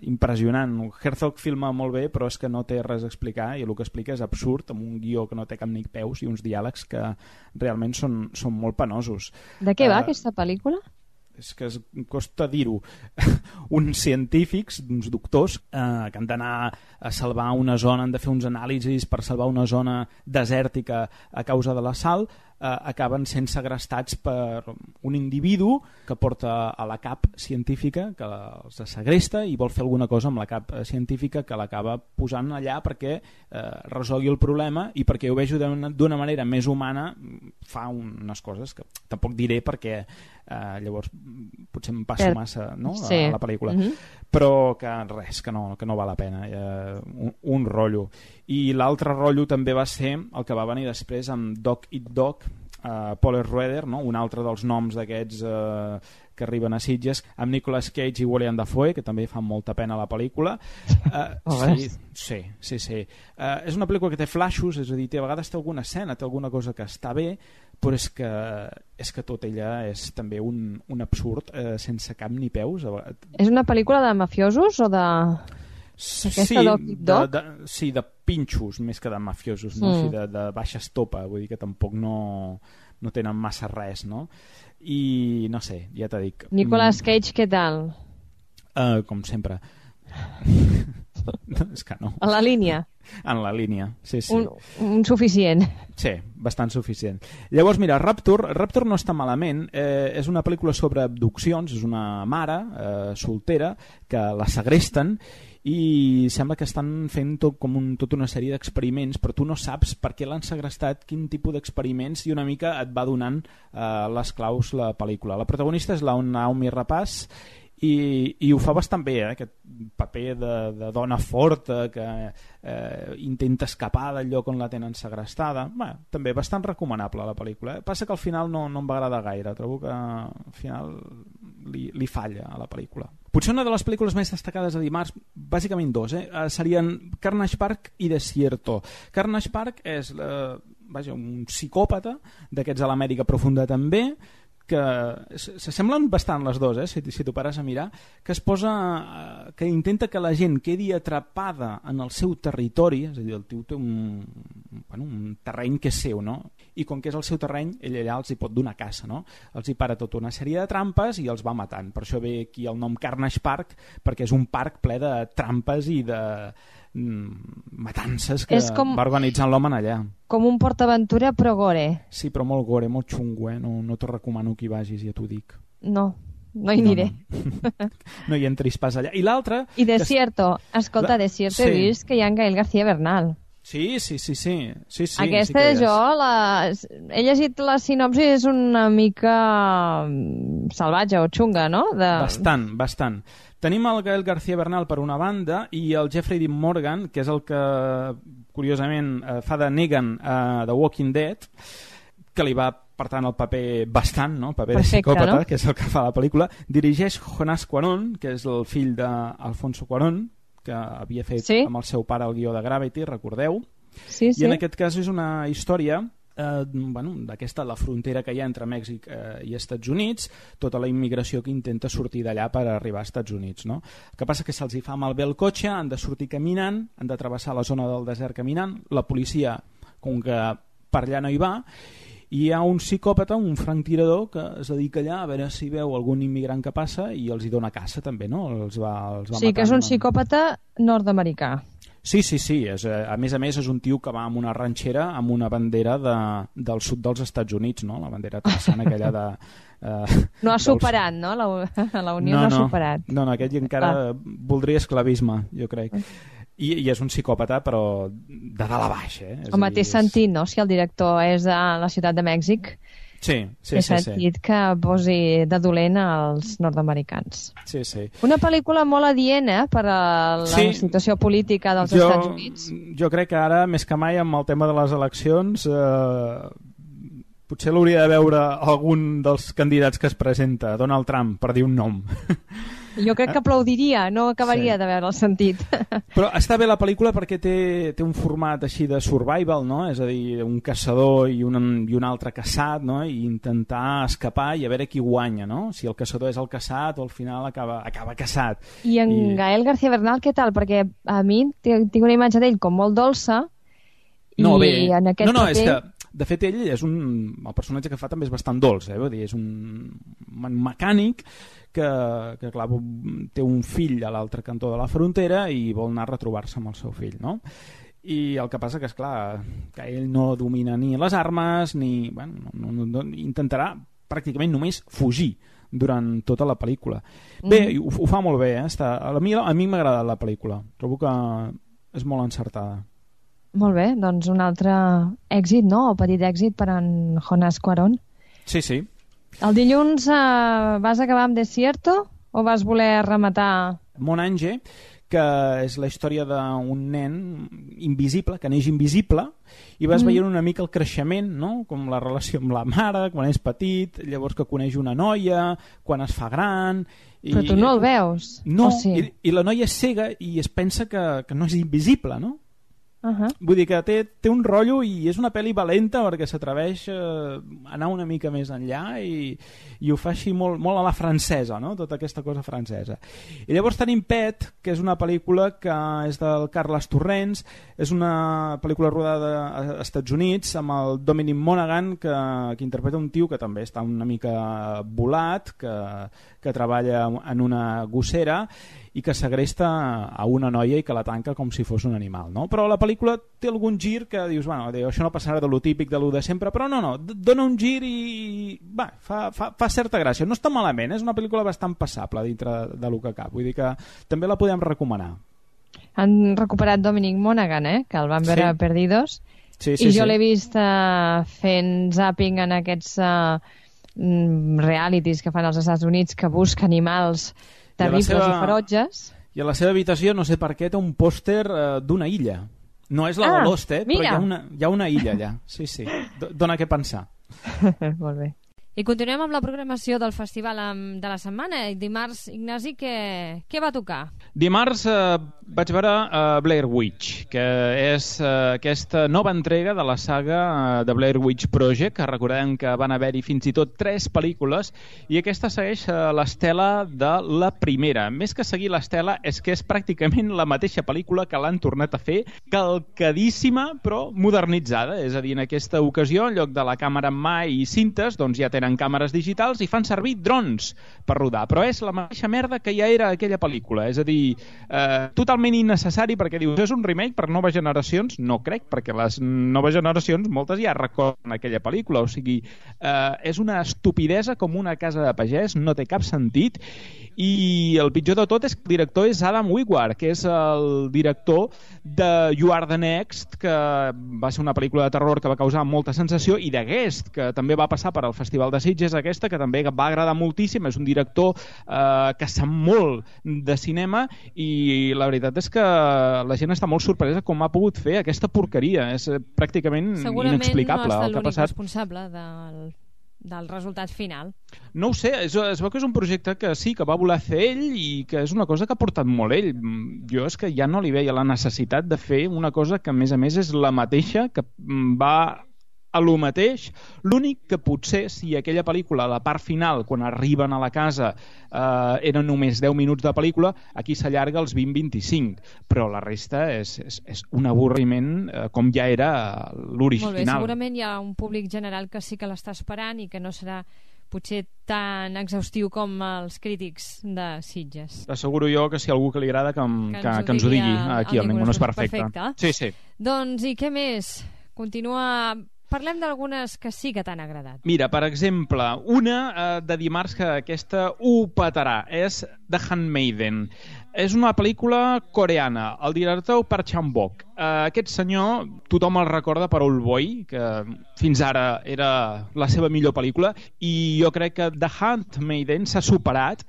A: impressionant. Herzog filma molt bé, però és que no té res a explicar, i el que explica és absurd, amb un guió que no té cap ni peus i uns diàlegs que realment són molt penosos.
B: De què va aquesta pel·lícula?
A: És que costa dir-ho. Uns científics, uns doctors, que han d'anar a salvar una zona, han de fer uns anàlisis per salvar una zona desèrtica a causa de la sal, acaben sent segrestats per un individu que porta a la cap científica, que els segresta i vol fer alguna cosa amb la cap científica, que l'acaba posant allà perquè resolgui el problema, i perquè ho vegi d'una manera més humana fa unes coses que tampoc diré perquè llavors potser em passo massa, no? A la pel·lícula. Però que res, que no val la pena, un rotllo. I l'altre rotllo també va ser el que va venir després amb Dog Eat Dog, Paul Schrader, no? Un altre dels noms d'aquests que arriben a Sitges, amb Nicolas Cage i William Dafoe, que també fan molta pena a la pel·lícula. Sí. És una pel·lícula que té flaixos, és a dir, a vegades té alguna escena, té alguna cosa que està bé, però és que tot ella és també un absurd sense cap ni peus.
B: És una pel·lícula de mafiosos o de...
A: Sí, de pinxos més que de mafiosos, no? Sí, de baixa estopa, vull dir que tampoc no tenen massa res, no? I no sé, ja t'ho dic.
B: Nicolas Cage, què tal?
A: Com sempre. És que no.
B: En la línia?
A: En la línia, sí.
B: Un suficient.
A: Sí, bastant suficient. Llavors, mira, Rapture no està malament. És una pel·lícula sobre abduccions, és una mare soltera que la segresten i sembla que estan fent tota una sèrie d'experiments, però tu no saps per què l'han segrestat, quin tipus d'experiments, i una mica et va donant les claus la pel·lícula. La protagonista és la Naomi Rapace, i ho fa bastant bé, aquest paper de dona forta que intenta escapar del lloc on la tenen segrestada. També bastant recomanable la pel·lícula. Passa que al final no em va agradar gaire, trobo que al final li falla a la pel·lícula. Potser una de les pel·lícules més destacades de dimarts, bàsicament dos, serien Carnage Park i Desierto. Carnage Park és un psicòpata d'aquests a l'Amèrica profunda també, que s'assemblen bastant les dues, si t'ho pares a mirar, que intenta que la gent quedi atrapada en el seu territori, és a dir, el tio té un un terreny que és seu, no? I com que és el seu terreny, ell allà els hi pot donar caça, no? Els hi para tota una sèrie de trampes i els va matant. Per això ve aquí el nom Carnage Park, perquè és un parc ple de trampes i de matances que va organitzant l'home allà.
B: Com un PortAventura però gore.
A: Sí, però molt gore, molt xungo, no t'ho recomano que hi vagis, ja t'ho dic.
B: No hi aniré.
A: No hi entris pas allà. I l'altre...
B: I Desierto, escolta, Desierto he vist que hi ha en Gael García Bernal.
A: Sí.
B: Aquesta
A: sí
B: jo he llegit la sinopsi, és una mica salvatge o xunga, no?
A: Bastant. Tenim el Gael García Bernal per una banda i el Jeffrey Dean Morgan, que és el que curiosament fa de Negan a The Walking Dead, que li va per tant el paper bastant, no? Paper de psicòpata, no? Que és el que fa la pel·lícula. Dirigeix Jonás Cuarón, que és el fill d'Alfonso Cuarón, que havia fet amb el seu pare el guió de Gravity, recordeu?
B: Sí.
A: I en aquest cas és una història d'aquesta, la frontera que hi ha entre Mèxic i Estats Units, tota la immigració que intenta sortir d'allà per arribar als Estats Units, no? El que passa que se'ls hi fa malbé el cotxe, han de sortir caminant, han de travessar la zona del desert caminant, la policia, com que per allà no hi va, i hi ha un psicòpata, un franctirador, que es dedica allà a veure si veu algun immigrant que passa i els hi dona caça també, no? Els va
B: sí, que és un psicòpata nord-americà.
A: Sí, a més és un tio que va amb una ranxera amb una bandera del sud dels Estats Units, no? La bandera texana aquella de...
B: no ha superat, no? La Unió no ha superat.
A: No, aquest encara voldria esclavisme, jo crec. I és un psicòpata, però de dalt a baix.
B: El mateix sentit, no? Si el director és de la ciutat de Mèxic,
A: sí.
B: He sentit que posi de dolent als nord-americans.
A: Sí.
B: Una pel·lícula molt adient per a la situació política dels Estats Units.
A: Jo crec que ara, més que mai, amb el tema de les eleccions, potser l'hauria de veure algun dels candidats que es presenta, Donald Trump, per dir un nom.
B: Jo crec que aplaudiria, no acabaria de veure el sentit.
A: Però està bé la pel·lícula perquè té un format així de survival, no? És a dir, un caçador i un altre caçat, no? I intentar escapar i a veure qui guanya, no? Si el caçador és el caçat o al final acaba caçat.
B: I Gael García Bernal, què tal? Perquè a mi tinc una imatge d'ell com molt dolça i en aquest paper...
A: És que de fet ell el personatge que fa també és bastant dolç, vull dir, és un mecànic que clar, té un fill a l'altre cantó de la frontera i vol anar a retrobar-se amb el seu fill, no? I el que passa que és clar, que ell no domina ni les armes ni... no, intentarà pràcticament només fugir durant tota la pel·lícula. Bé, ho fa molt bé, a mi m'ha agradat la pel·lícula, trobo que és molt encertada.
B: Molt bé, doncs un altre èxit, no? O petit èxit per en Jonás Cuarón.
A: Sí.
B: El dilluns vas acabar amb Desierto o vas voler rematar...
A: Monange, que és la història d'un nen invisible, que neix invisible, i vas veient una mica el creixement, no? Com la relació amb la mare, quan és petit, llavors que coneix una noia, quan es fa gran...
B: Però tu no el veus?
A: No, i la noia és cega i es pensa que no és invisible, no? Vull dir que té un rotllo i és una pel·li valenta perquè s'atreveix a anar una mica més enllà i ho fa així molt a la francesa, no? Tota aquesta cosa francesa. I llavors tenim Pet, que és una pel·lícula que és del Carles Torrents, és una pel·lícula rodada als Estats Units amb el Dominic Monaghan, que interpreta un tio que també està una mica volat, que treballa en una gossera i que segresta a una noia i que la tanca com si fos un animal, no? Però la pel·lícula té algun gir que dius, això no passarà de lo típic, de lo de sempre, però no, dona un gir i fa certa gràcia. No està malament, és una pel·lícula bastant passable dintre de lo que cap, vull dir que també la podem recomanar.
B: Han recuperat Dominic Monaghan, que el van veure a Perdidos, i jo l'he vist fent zapping en aquests realities que fan als Estats Units que busca animals terribles i ferotges.
A: I a la seva habitació, no sé per què, té un pòster d'una illa. No és la de Lost, però hi ha una illa allà. Sí. Dona què pensar.
B: Molt bé. I continuem amb la programació del festival de la setmana. Dimarts, Ignasi, què va tocar?
A: Dimarts vaig veure Blair Witch, que és aquesta nova entrega de la saga de Blair Witch Project, que recordem que van haver-hi fins i tot 3 pel·lícules, i aquesta segueix l'estela de la primera. Més que seguir l'estela, és que és pràcticament la mateixa pel·lícula que l'han tornat a fer, calcadíssima, però modernitzada. És a dir, en aquesta ocasió, en lloc de la càmera en mà i cintes, doncs ja tenen càmeres digitals i fan servir drons per rodar, però és la mateixa merda que ja era aquella pel·lícula, és a dir, totalment innecessari, perquè dius, és un remake per noves generacions? No crec, perquè les noves generacions, moltes ja recorden aquella pel·lícula, o sigui, és una estupidesa com una casa de pagès, no té cap sentit, i el pitjor de tot és que el director és Adam Wingard, que és el director de You Are the Next, que va ser una pel·lícula de terror que va causar molta sensació, i de Guest, que també va passar per al Festival de Sitges, aquesta, que també va agradar moltíssim. És un director que sap molt de cinema, i la veritat és que la gent està molt sorpresa com ha pogut fer aquesta porqueria. És pràcticament inexplicable el que ha passat.
B: Segurament no ha estat l'únic responsable del resultat final.
A: No ho sé, es veu que és un projecte que sí, que va voler fer ell, i que és una cosa que ha portat molt ell. Jo és que ja no li veia la necessitat de fer una cosa que a més és la mateixa, que va a lo mateix. L'únic que potser, si aquella pel·lícula, la part final, quan arriben a la casa, eren només 10 minuts de pel·lícula, aquí s'allarga als 20-25, però la resta és un avorriment com ja era l'original.
B: Molt bé, segurament hi ha un públic general que sí que l'està esperant i que no serà potser tan exhaustiu com els crítics de Sitges.
A: T'asseguro jo que si algú que li agrada que ens ho digui aquí al Ningú no és perfecte. Sí.
B: Doncs i què més? Parlem d'algunes que sí que t'han agradat.
A: Mira, per exemple, una de dimarts, que aquesta ho petarà, és The Handmaiden. És una pel·lícula coreana. El director Park Chan-wook. Aquest senyor, tothom el recorda per Old Boy, que fins ara era la seva millor pel·lícula, i jo crec que The Handmaiden s'ha superat,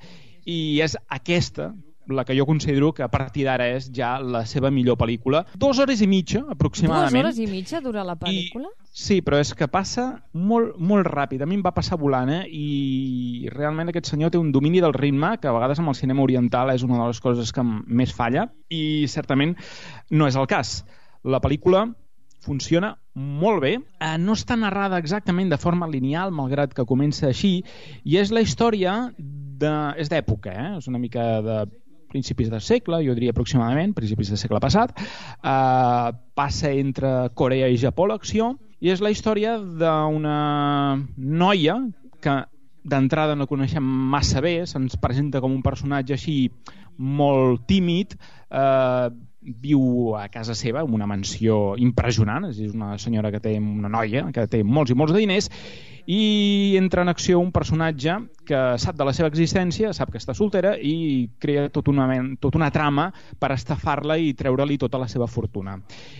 A: i és aquesta la que jo considero que a partir d'ara és ja la seva millor pel·lícula. 2 hores i mitja, aproximadament.
B: 2 hores i mitja dura la pel·lícula?
A: Sí, però és que passa molt, molt ràpid. A mi em va passar volant, i realment aquest senyor té un domini del ritme que a vegades amb el cinema oriental és una de les coses que més falla, i certament no és el cas. La pel·lícula funciona molt bé, no està narrada exactament de forma lineal, malgrat que comença així, i és la història és d'època, és una mica de principis del segle, jo diria aproximadament, principis del segle passat, passa entre Corea i Japó l'acció, i és la història d'una noia que d'entrada no coneixem massa bé, se'ns presenta com un personatge així molt tímid, viu a casa seva, en una mansió impressionant, és una senyora que té, una noia que té molts i molts de diners, i entra en acció un personatge que sap de la seva existència, sap que està soltera, i crea tota una trama per estafar-la i treure-li tota la seva fortuna.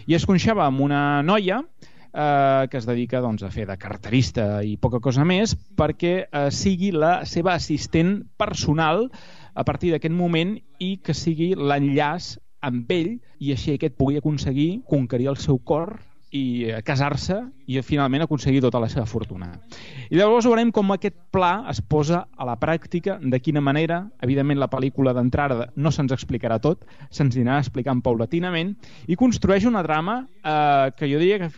A: I es coneixava amb una noia que es dedica a fer de carterista i poca cosa més, perquè sigui la seva assistent personal a partir d'aquest moment, i que sigui l'enllaç amb ell, i així aquest pugui aconseguir conquerir el seu cor i casar-se i finalment aconseguir tota la seva fortuna. I llavors veurem com aquest pla es posa a la pràctica, de quina manera. Evidentment la pel·lícula d'entrada no se'ns explicarà tot, se'ns anirà explicant paulatinament, i construeix una trama que jo diria que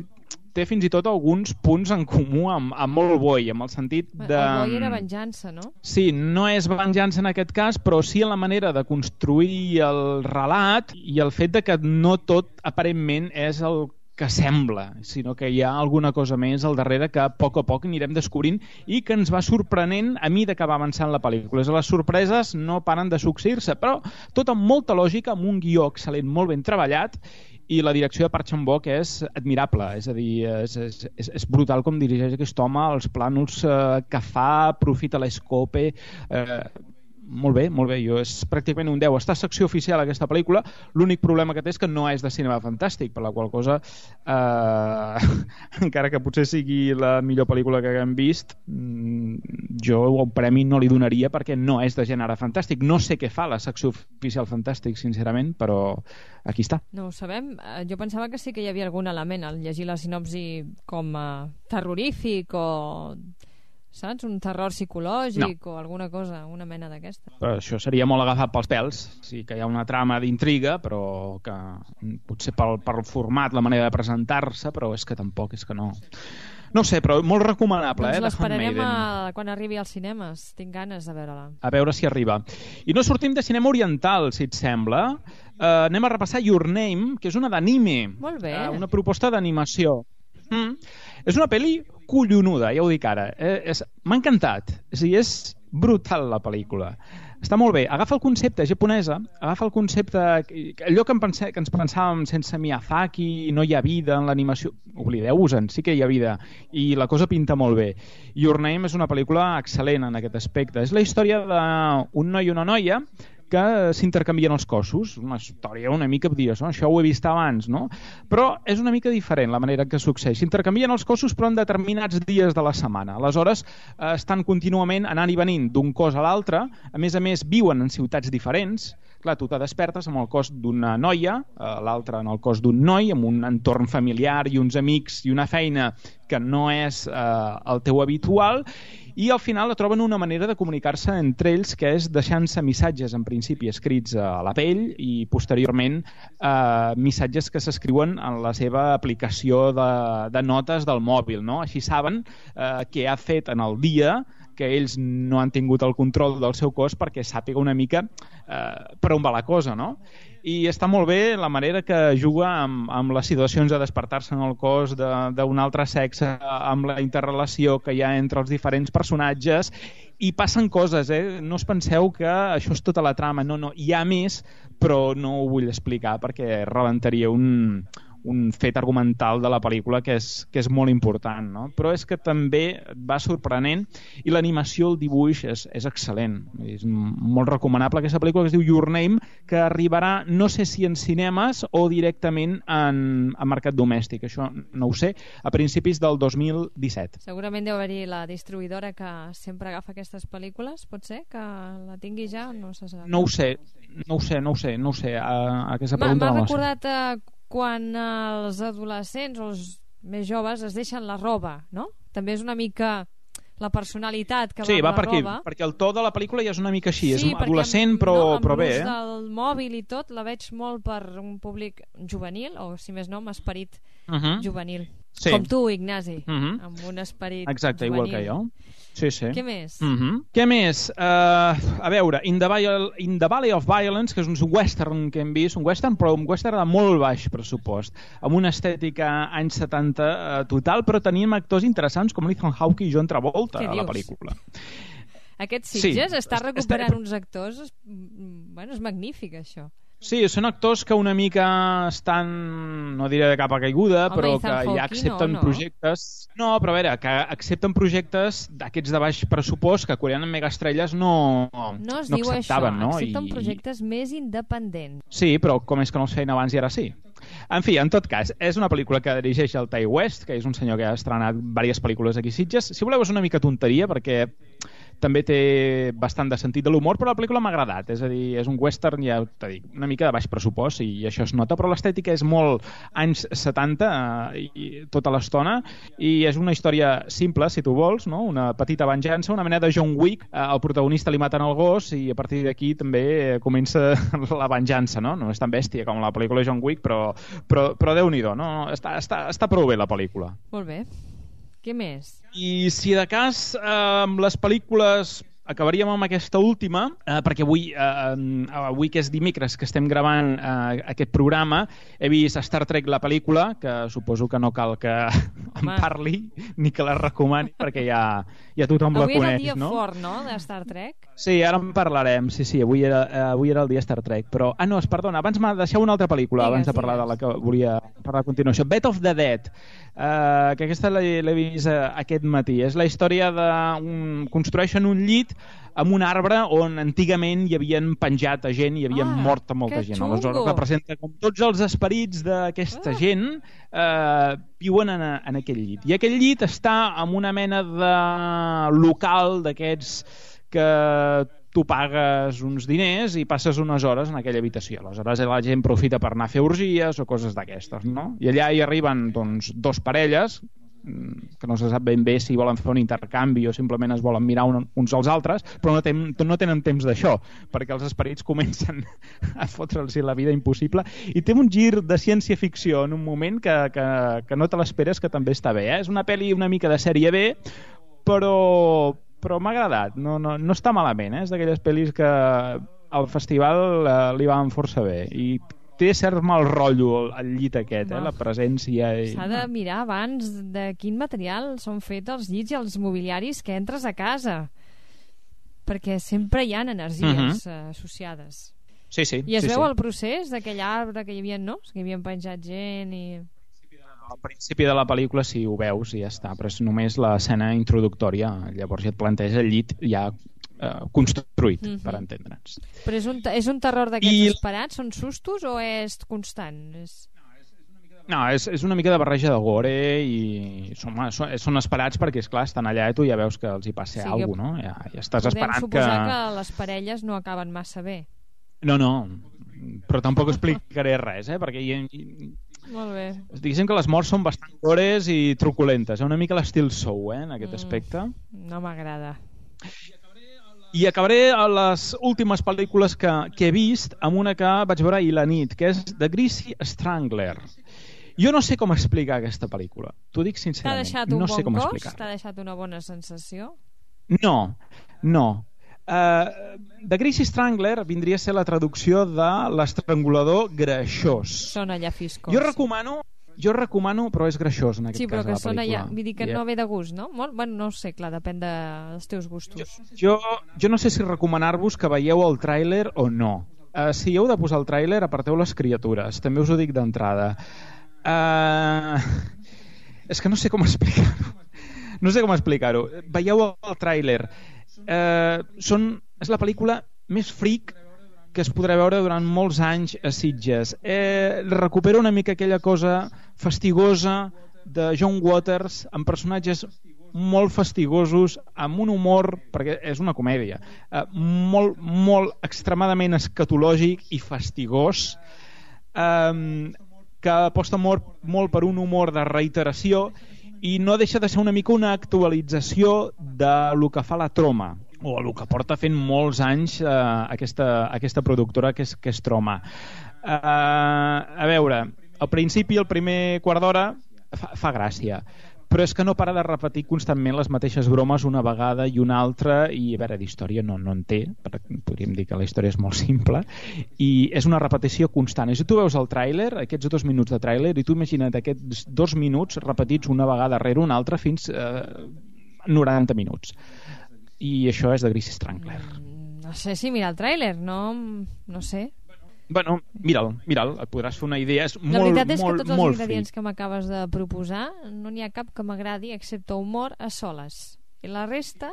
A: té fins i tot alguns punts en comú amb Old Boy, amb el sentit de...
B: Old Boy era venjança, no?
A: Sí, no és venjança en aquest cas, però sí en la manera de construir el relat, i el fet de que no tot aparentment és el que sembla, sinó que hi ha alguna cosa més al darrere que a poc anirem descobrint, i que ens va sorprenent a mesura que va avançant la pel·lícula. Les sorpreses no paren de succeir-se, però tot amb molta lògica, amb un guió excel·lent, molt ben treballat, i la direcció de Park Chan-wook és admirable, és a dir, és brutal com dirigeix aquest home, els plànols que fa, aprofita l'escope, molt bé, és pràcticament un 10. Està a secció oficial aquesta pel·lícula, l'únic problema que té és que no és de cinema fantàstic, per la qual cosa encara que potser sigui la millor pel·lícula que haguem vist, jo el premi no li donaria perquè no és de gènere fantàstic. No sé què fa la secció oficial fantàstic, sincerament, però aquí està.
B: No ho sabem. Jo pensava que sí que hi havia algun element al llegir la sinopsi com terrorífic o saps? Un terror psicològic o alguna cosa, una mena d'aquesta.
A: Però això seria molt agafat pels pèls. Sí que hi ha una trama d'intriga, però que potser pel format, la manera de presentar-se, però és que tampoc, és que no... No sé, però molt recomanable,
B: doncs
A: The Handmaiden.
B: quan arribi als cinemes. Tinc ganes de veure-la.
A: A veure si arriba. I no sortim de cinema oriental, si et sembla. Anem a repassar Your Name, que és una d'anime.
B: Molt bé.
A: Una proposta d'animació. És una pel·li collonuda, ja ho dic ara. M'ha encantat. És brutal la pel·lícula. Està molt bé. Agafa el concepte japonesa, agafa el concepte... Allò que ens pensàvem sense Miyazaki, no hi ha vida en l'animació... Oblideu-vos-en, sí que hi ha vida. I la cosa pinta molt bé. Your Name és una pel·lícula excel·lent en aquest aspecte. És la història d'un noi i una noia que s'intercanvien els cossos. Una història una mica, dius, això ho he vist abans, no? Però és una mica diferent la manera que succeeix. S'intercanvien els cossos però en determinats dies de la setmana. Aleshores, estan contínuament anant i venint d'un cos a l'altre. A més, viuen en ciutats diferents. Clar, tu te despertes amb el cos d'una noia, l'altre en el cos d'un noi, amb un entorn familiar i uns amics i una feina que no és el teu habitual, i al final troben una manera de comunicar-se entre ells que és deixant-se missatges en principi escrits a la pell i posteriorment missatges que s'escriuen en la seva aplicació de notes del mòbil, no? Així saben què ha fet en el dia, que ells no han tingut el control del seu cos perquè sàpiga una mica per on va la cosa, no? I està molt bé la manera que juga amb les situacions de despertar-se en el cos d'un altre sexe, amb la interrelació que hi ha entre els diferents personatges, i passen coses, no us penseu que això és tota la trama, no, hi ha més, però no ho vull explicar perquè rebentaria un fet argumental de la pel·lícula que és molt important, no? Però és que també va sorprenent i l'animació, el dibuix és excel·lent. És molt recomanable aquesta pel·lícula que es diu Your Name, que arribarà no sé si en cinemes o directament en mercat domèstic, això no ho sé, a principis del 2017.
B: Segurament deu haver-hi la distribuïdora que sempre agafa aquestes pel·lícules, pot ser que la tingui ja, no se sap.
A: No ho sé. Aquesta pregunta
B: m'ha recordat quan els adolescents o els més joves es deixen la roba, no? També és una mica la personalitat que va amb la roba. Sí, va
A: perquè el to de la pel·lícula ja és una mica així, és adolescent però bé.
B: Amb l'ús del mòbil i tot, la veig molt per un públic juvenil, o si més no, amb esperit juvenil. Sí. Com tu, Ignasi, amb un esperit
A: exacte,
B: juvenil.
A: Igual que jo. Sí.
B: Què més?
A: Què més? A veure, In the Valley of Violence, que és un western que hem vist, un western de molt baix pressupost, amb una estètica anys 70 total, però tenim actors interessants com Ethan Hawke i John Travolta a la pel·lícula.
B: Aquest Sitges està recuperant uns actors... Bueno, és magnífic, això.
A: Sí, són actors que una mica estan, no diré de capa caiguda, però que ja accepten projectes... No, però a veure, que accepten projectes d'aquests de baix pressupost que quan eren megaestrelles no
B: es diu
A: acceptaven,
B: això,
A: no?
B: Accepten projectes més independents.
A: Sí, però com és que no els feien abans i ara sí? En fi, en tot cas, és una pel·lícula que dirigeix el Ty West, que és un senyor que ha estrenat diverses pel·lícules aquí a Sitges. Si voleu, és una mica tonteria, perquè també té bastant de sentit de l'humor, però la pel·lícula m'ha agradat, és a dir, és un western, ja t'ho dic, una mica de baix pressupost i això es nota, però l'estètica és molt anys 70 i tota l'estona, i és una història simple, si tu vols, no? Una petita venjança, una mena de John Wick, al protagonista li maten el gos i a partir d'aquí també comença la venjança, no? No és tan bèstia com la pel·lícula John Wick, però Déu-n'hi-do, no? Està prou bé la pel·lícula.
B: Molt bé. Què més?
A: I si de cas amb les pel·lícules acabaríem amb aquesta última, perquè avui que és dimecres que estem gravant aquest programa, he vist Star Trek la pel·lícula, que suposo que no cal que en parli ni que la recomani, perquè ja tothom la coneix, no?
B: Avui era el dia fort, no?, de Star Trek?
A: Sí, ara en parlarem, sí, avui era el dia Star Trek, però... no, perdona, abans m'ha deixat una altra pel·lícula, abans de parlar de la que volia parlar a continuació. Bed of the Dead, que aquesta l'he vist aquest matí. És la història construeixen un llit amb un arbre on antigament hi havien penjat a gent i hi havien mort a molta gent. Aleshores representa com tots els esperits d'aquesta gent viuen en aquell llit. I aquell llit està en una mena de local d'aquests que tu pagues uns diners i passes unes hores en aquella habitació. Aleshores la gent profita per anar a fer orgies o coses d'aquestes, no? I allà hi arriben doncs, dos parelles, que no se sap ben bé si volen fer un intercanvi o simplement es volen mirar uns als altres, però no tenen temps d'això, perquè els esperits comencen a fotre'ls la vida impossible, i té un gir de ciència-ficció en un moment que no te l'esperes, que també està bé. És una pel·li una mica de sèrie B, però m'ha agradat, no està malament, és d'aquelles pel·lis que al festival li van força bé, i té cert mal rotllo el llit aquest, la presència.
B: S'ha de mirar abans de quin material són fets els llits i els mobiliaris que entres a casa, perquè sempre hi ha energies associades.
A: Sí.
B: I es veu el procés d'aquell arbre que hi havia, no? Que hi havien penjat gent i...
A: Al principi de la pel·lícula sí, ho veus i ja està, però és només l'escena introductòria, llavors ja et planteja el llit ja construït, per entendre'ns.
B: Però és un terror d'aquests esperats? Són sustos o és constant?
A: No, és una mica de barreja de gore i són esperats perquè, esclar, estan allà i tu ja veus que els hi passa alguna cosa, no? Ja estàs esperant que...
B: Podem suposar que les parelles no acaben massa bé.
A: No, però tampoc explicaré res, perquè
B: molt bé.
A: Diguéssim que les morts són bastant gores i truculentes, una mica l'estil Saw, en aquest aspecte.
B: No m'agrada.
A: I acabaré a les últimes pel·lícules que he vist amb una que vaig veure ahir la nit, que és The Greasy Strangler. Jo no sé com explicar aquesta pel·lícula. T'ho dic sincerament.
B: T'ha deixat un bon cos? T'ha deixat una bona sensació?
A: No. The Greasy Strangler vindria a ser la traducció de l'estrangulador greixós.
B: Sona llafiscós.
A: Jo recomano, però és greixós en aquest cas.
B: Sí, però que
A: sona
B: ja... Vull dir que no ve de gust, no? Bueno, no ho sé, clar, depèn dels teus gustos.
A: Jo no sé si recomanar-vos que veieu el tràiler o no. Si heu de posar el tràiler, aparteu les criatures. També us ho dic d'entrada. És que no sé com explicar-ho. Veieu el tràiler. És la pel·lícula més freak que es podrà veure durant molts anys a Sitges. Recupera una mica aquella cosa fastigosa de John Waters, amb personatges molt fastigosos, amb un humor, perquè és una comèdia, molt extremadament escatològic i fastigós, que aposta molt per un humor de reiteració i no deixa de ser una mica una actualització de lo que fa la Troma, o el que porta fent molts anys aquesta productora que és Troma. A veure, al principi, el primer quart d'hora fa gràcia, però és que no para de repetir constantment les mateixes bromes una vegada i una altra, i a veure, d'història no en té, podríem dir que la història és molt simple, i és una repetició constant. I si tu veus el tràiler, aquests 2 minuts de tràiler, i tu imagina't aquests 2 minuts repetits una vegada rere una altra fins 90 minuts. I això és de Greasy Strangler.
B: No sé si mira el tràiler, no sé.
A: Bueno, mira'l, et podràs fer una idea. És
B: la veritat és que tots els ingredients
A: fric
B: que m'acabes de proposar no n'hi ha cap que m'agradi excepte humor a soles. I la resta...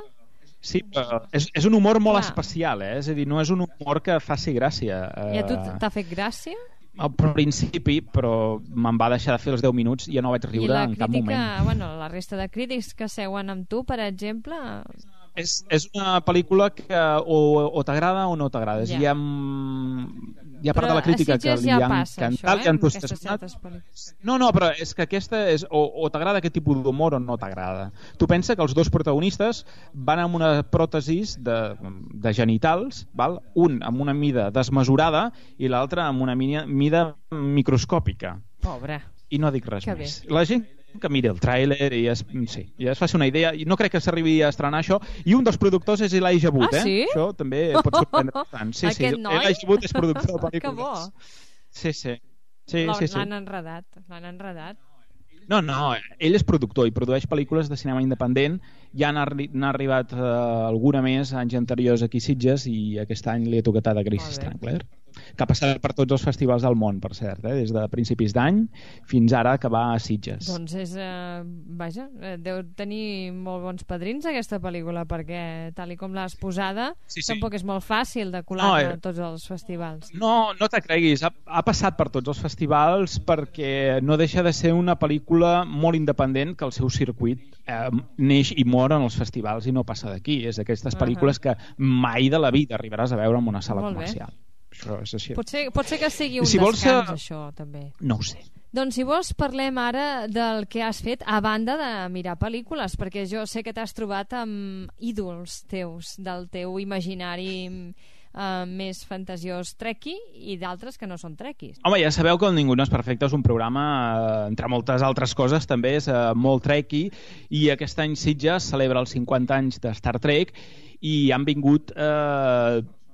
A: Sí, però és un humor molt especial, És a dir, no és un humor que faci gràcia.
B: I a tu t'ha fet gràcia?
A: Al principi, però me'n va deixar de fer els 10 minuts i ja no vaig riure en cap moment.
B: I bueno, la resta de crítics que seuen amb tu, per exemple...
A: És una pel·lícula que o t'agrada o no t'agrada. Hi ha part de la crítica que li han encantat, li han entusiasmat. No, però és que aquesta és o t'agrada aquest tipus d'humor o no t'agrada. Tu pensa que els dos protagonistes van amb una pròtesis de genitals, val? Un amb una mida desmesurada i l'altre amb una mida microscòpica.
B: Pobre.
A: I no dic res més. La gent que miri el tràiler i es faci una idea. I no crec que s'arribi a estrenar això. I un dels productors és Elijah Wood.
B: Sí?
A: Això també pot sorprendre bastant. Sí, Elijah Wood és productor de pel·lícules.
B: Que bo.
A: Sí.
B: L'han enredat.
A: No, ell és productor i produeix pel·lícules de cinema independent. Ja n'ha arribat alguna més anys anteriors aquí a Sitges i aquest any li ha tocat a The Greasy Strangler, que ha passat per tots els festivals del món, per cert, des de principis d'any fins ara que va a Sitges.
B: Doncs deu tenir molt bons padrins aquesta pel·lícula, perquè tal i com l'has posada tampoc és molt fàcil de colar a tots els festivals.
A: No te creguis, ha passat per tots els festivals perquè no deixa de ser una pel·lícula molt independent que el seu circuit neix i mor en els festivals i no passa d'aquí. És d'aquestes pel·lícules que mai de la vida arribaràs a veure en una sala comercial. Això és així.
B: Pot ser que sigui un descans, això, també.
A: No ho sé.
B: Doncs si vols parlem ara del que has fet a banda de mirar pel·lícules, perquè jo sé que t'has trobat amb ídols teus, del teu imaginari més fantasiós trekkie i d'altres que no són trekkies.
A: Home, ja sabeu que el Ningú no és perfecte és un programa, entre moltes altres coses, també és molt trekkie, i aquest any Sitges celebra els 50 anys de Star Trek i han vingut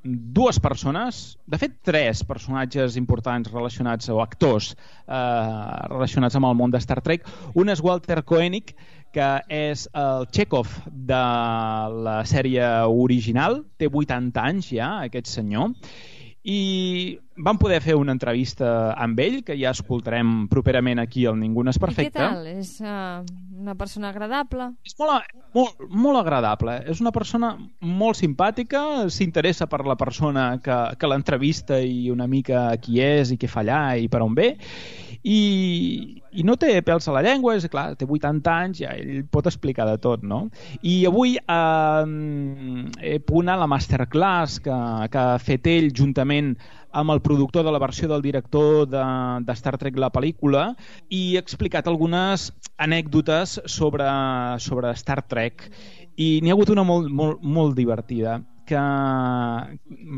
A: dues persones, de fet 3 personatges importants relacionats, o actors relacionats amb el món de Star Trek. Un és Walter Koenig, que és el Chekhov de la sèrie original, té 80 anys ja, aquest senyor, i vam poder fer una entrevista amb ell, que ja escoltarem properament aquí al Ningú no és perfecte.
B: I què tal? És una persona agradable?
A: És molt agradable. És una persona molt simpàtica, s'interessa per la persona que l'entrevista i una mica qui és i què fa allà i per on ve, i no té pèls a la llengua, és clar, té 80 anys, ja ell pot explicar de tot, no? I avui he pogut anar a la masterclass que ha fet ell juntament amb el productor de la versió del director de Star Trek la pel·lícula, i he explicat algunes anècdotes sobre Star Trek, i n'hi ha hagut una molt divertida, que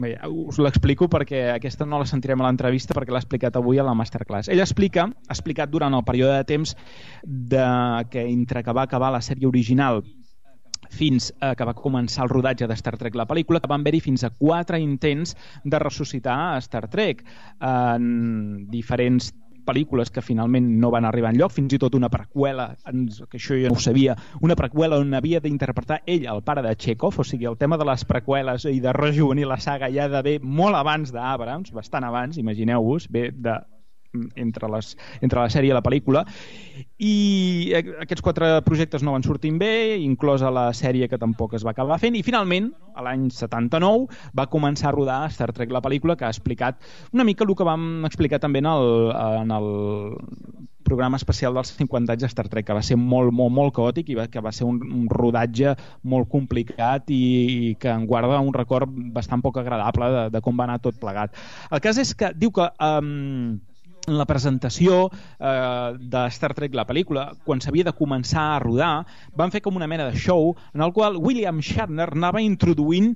A: bé, us l'explico perquè aquesta no la sentirem a l'entrevista perquè l'ha explicat avui a la masterclass. Ell ha explicat durant el període de temps entre que va acabar la sèrie original fins que va començar el rodatge de Star Trek la pel·lícula, que van haver-hi fins a 4 intents de ressuscitar Star Trek en diferents pel·lícules que finalment no van arribar enlloc, fins i tot una preqüela, que això jo no ho sabia, una preqüela on havia d'interpretar ell, el pare de Chekhov, o sigui, el tema de les preqüeles i de rejuvenir la saga ja de bé molt abans d'Abrams, bastant abans, imagineu-vos, ve entre la sèrie i la pel·lícula, i aquests 4 projectes no van sortir bé, inclosa la sèrie que tampoc es va acabar fent, i finalment, a l'any 79, va començar a rodar Star Trek la pel·lícula, que ha explicat una mica el que vam explicar també en el programa especial dels 50 anys de Star Trek, que va ser molt caòtic i que va ser un rodatge molt complicat i que en guarda un record bastant poc agradable de com va anar tot plegat. El cas és que diu que en la presentació de Star Trek la pel·lícula, quan s'havia de començar a rodar, van fer com una mena de show en el qual William Shatner anava introduint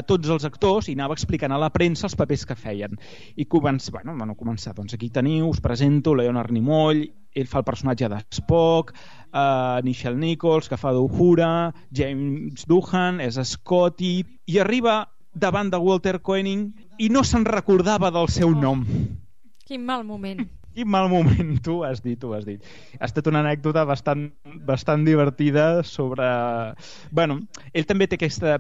A: tots els actors i anava explicant a la premsa els papers que feien. I van començar, doncs aquí teniu, us presento Leonard Nimoy, ell fa el personatge de Spock, Nichelle Nichols, que fa d'Uhura, James Doohan, és Scotty, i arriba davant de Walter Koenig i no se'n recordava del seu nom.
B: Quin mal moment.
A: Quin mal moment, tu ho has dit. Ha estat una anècdota bastant divertida sobre... Bueno, ell també té aquesta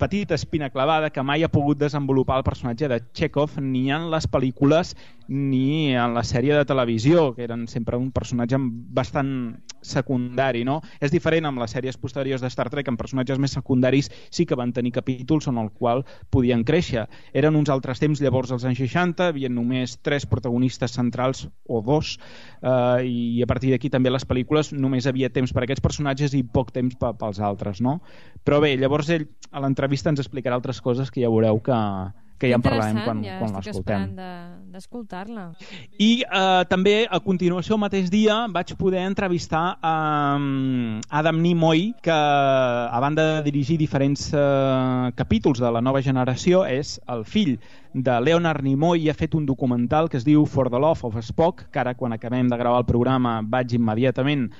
A: petita espina clavada que mai ha pogut desenvolupar el personatge de Chekhov ni en les pel·lícules ni en la sèrie de televisió, que eren sempre un personatge bastant secundari, no? És diferent amb les sèries posteriors de Star Trek, amb personatges més secundaris sí que van tenir capítols en el qual podien créixer. Eren uns altres temps, llavors als anys 60, hi havia només 3 protagonistes centrals o 2, i a partir d'aquí també les pel·lícules només havia temps per a aquests personatges i poc temps pels altres, no? Però bé, llavors ell a l'entrevista ens explicarà altres coses que ja veureu que ja en parlarem quan l'escoltem.
B: Estic esperant d'escoltar-la.
A: I també a continuació el mateix dia vaig poder entrevistar Adam Nimoy, que a banda de dirigir diferents capítols de la nova generació és el fill de Leonard Nimoy i ha fet un documental que es diu For the Love of Spock, que ara quan acabem de gravar el programa vaig immediatament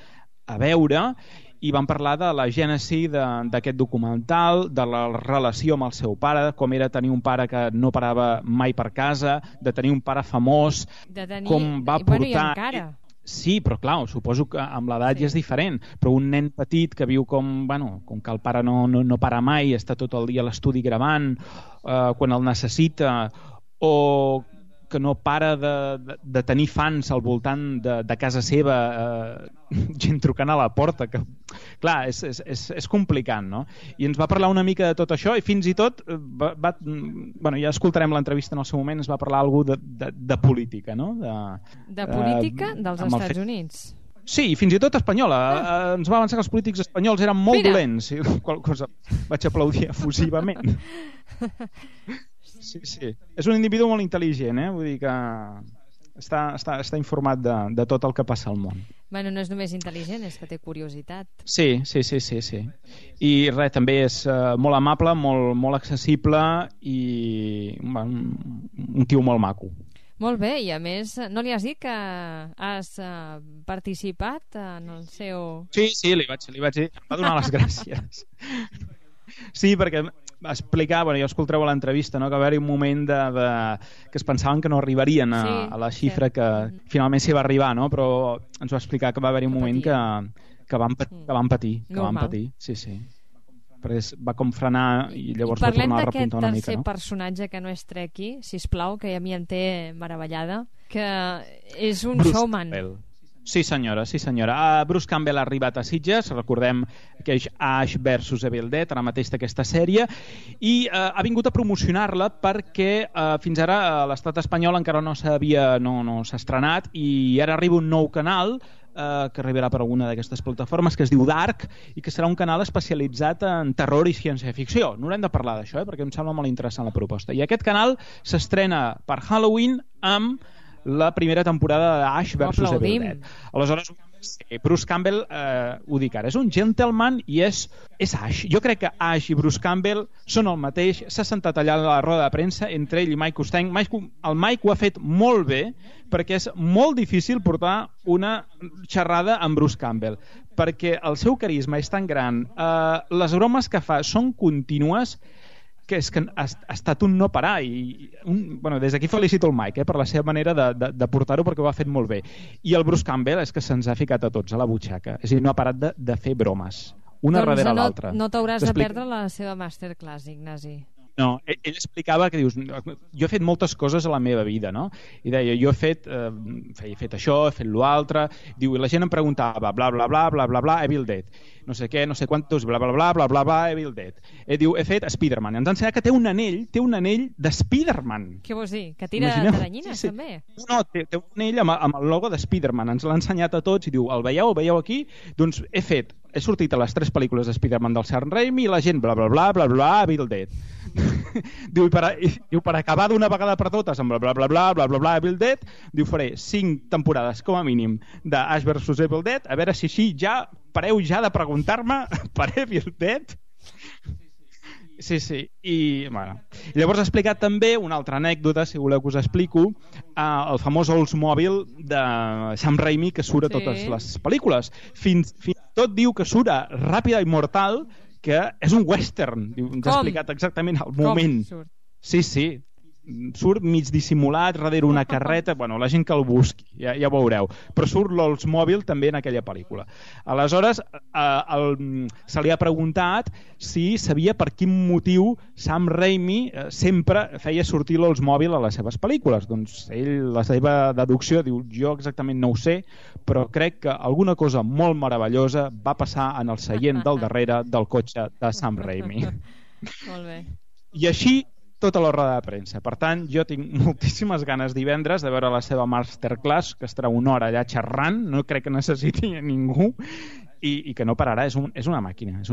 A: a veure, i vam parlar de la gènesi d'aquest documental, de la relació amb el seu pare, com era tenir un pare que no parava mai per casa, de tenir un pare famós, com va portar...
B: I encara.
A: Sí, però clar, suposo que amb l'edat ja és diferent, però un nen petit que viu com que el pare no para mai, està tot el dia a l'estudi gravant, quan el necessita, o que no para de tenir fans al voltant de casa seva, gent trucant a la porta, que clar, és complicat, no? I ens va parlar una mica de tot això i fins i tot ja escoltarem l'entrevista en el seu moment, es va parlar alguna cosa de política, no?
B: De política dels Estats Units.
A: Sí, fins i tot espanyola. Ens va avançar que els polítics espanyols eren molt dolents, i qual cosa vaig aplaudir efusivament. Sí. És un individu molt intel·ligent, vull dir que està informat de tot el que passa al món.
B: Bueno, no és només intel·ligent, és que té curiositat.
A: Sí. I res, també és molt amable, molt accessible i un tio molt maco.
B: Molt bé, i a més, no li has dit que has participat en el seu...
A: Sí, li vaig dir, em va donar les gràcies. Sí, perquè explicar, jo escolteu a l'entrevista, no, que va haver-hi un moment que es pensaven que no arribarien a la xifra que finalment s'hi va arribar, no? Però ens va explicar que va haver-hi un moment que van patir. Sí. Perquè va com frenar i llavors va tornar a repuntar una mica.
B: Parlem d'aquest tercer personatge que no és Trekkie, sisplau, que a mi em té meravellada, que és un
A: Bruce
B: showman.
A: Campbell. Sí senyora. Bruce Campbell ha arribat a Sitges, recordem que és Ash vs Evil Dead, ara mateix d'aquesta sèrie, i ha vingut a promocionar-la perquè fins ara l'estat espanyol encara no s'ha estrenat, i ara arriba un nou canal que arribarà per alguna d'aquestes plataformes, que es diu Dark, i que serà un canal especialitzat en terror i ciència-ficció. No haurem de parlar d'això, perquè em sembla molt interessant la proposta. I aquest canal s'estrena per Halloween amb la primera temporada d'Ash vs Evil Dead. Aleshores, Bruce Campbell, ho dic ara, és un gentleman i és Ash. Jo crec que Ash i Bruce Campbell són el mateix. S'ha sentat allà a la roda de premsa entre ell i Mike Costany. El Mike ho ha fet molt bé, perquè és molt difícil portar una xerrada amb Bruce Campbell, perquè el seu carisma és tan gran, les bromes que fa són contínues, que és que ha estat un no parar, i des d'aquí felicito el Mike per la seva manera de portar-ho, perquè ho ha fet molt bé. I el Bruce Campbell és que se'ns ha ficat a tots a la butxaca, és a dir, no ha parat de fer bromes una darrere l'altra.
B: No t'hauràs de perdre la seva masterclass, Ignasi.
A: No, ell explicava que dius, jo he fet moltes coses a la meva vida, no? I deia, jo he fet això, he fet l'altre, diu, i la gent em preguntava, bla, bla, bla, bla, bla, bla, Evil Dead, no sé què, no sé quantos, bla, bla, bla, bla, bla, bla, Evil Dead. Diu, he fet Spider-Man. Ens ha ensenyat que té un anell de Spider-Man.
B: Què vols dir? Que tira teranyines, també?
A: No, té un anell amb el logo de Spider-Man. Ens l'ha ensenyat a tots i diu, el veieu aquí? Doncs he sortit a les 3 pel·lícules de Spider-Man del Sam Raimi i la gent, bla, bla, bla, bla, bla, Evil Dead. Diu, per acabar d'una vegada per totes amb bla, bla, bla, bla, bla, bla, bla, Evil Dead, diu, faré 5 temporades com a mínim d'Ash vs Evil Dead, a veure si així ja pareu ja de preguntar-me per Evil Dead. Sí. I llavors ha explicat també una altra anècdota, si voleu que us explico, el famós Oldsmobile de Sam Raimi, que surt a totes les pel·lícules. Fins i tot diu que surt a Ràpida i Mortal, que és un western. Ens ha explicat exactament el moment. Sí. Surt mig dissimulat darrere una carreta, la gent que el busqui, ja ho veureu, però surt l'Oldsmobile també en aquella pel·lícula. Aleshores se li ha preguntat si sabia per quin motiu Sam Raimi sempre feia sortir l'Oldsmobile a les seves pel·lícules. Doncs ell, la seva deducció, diu, jo exactament no ho sé, però crec que alguna cosa molt meravellosa va passar en el seient del darrere del cotxe de Sam Raimi.
B: Molt bé.
A: I així tota la roda de premsa. Per tant, jo tinc moltíssimes ganes divendres de veure la seva masterclass, que estarà una hora allà xerrant, no crec que necessiti a ningú, i que no pararà, és una màquina. És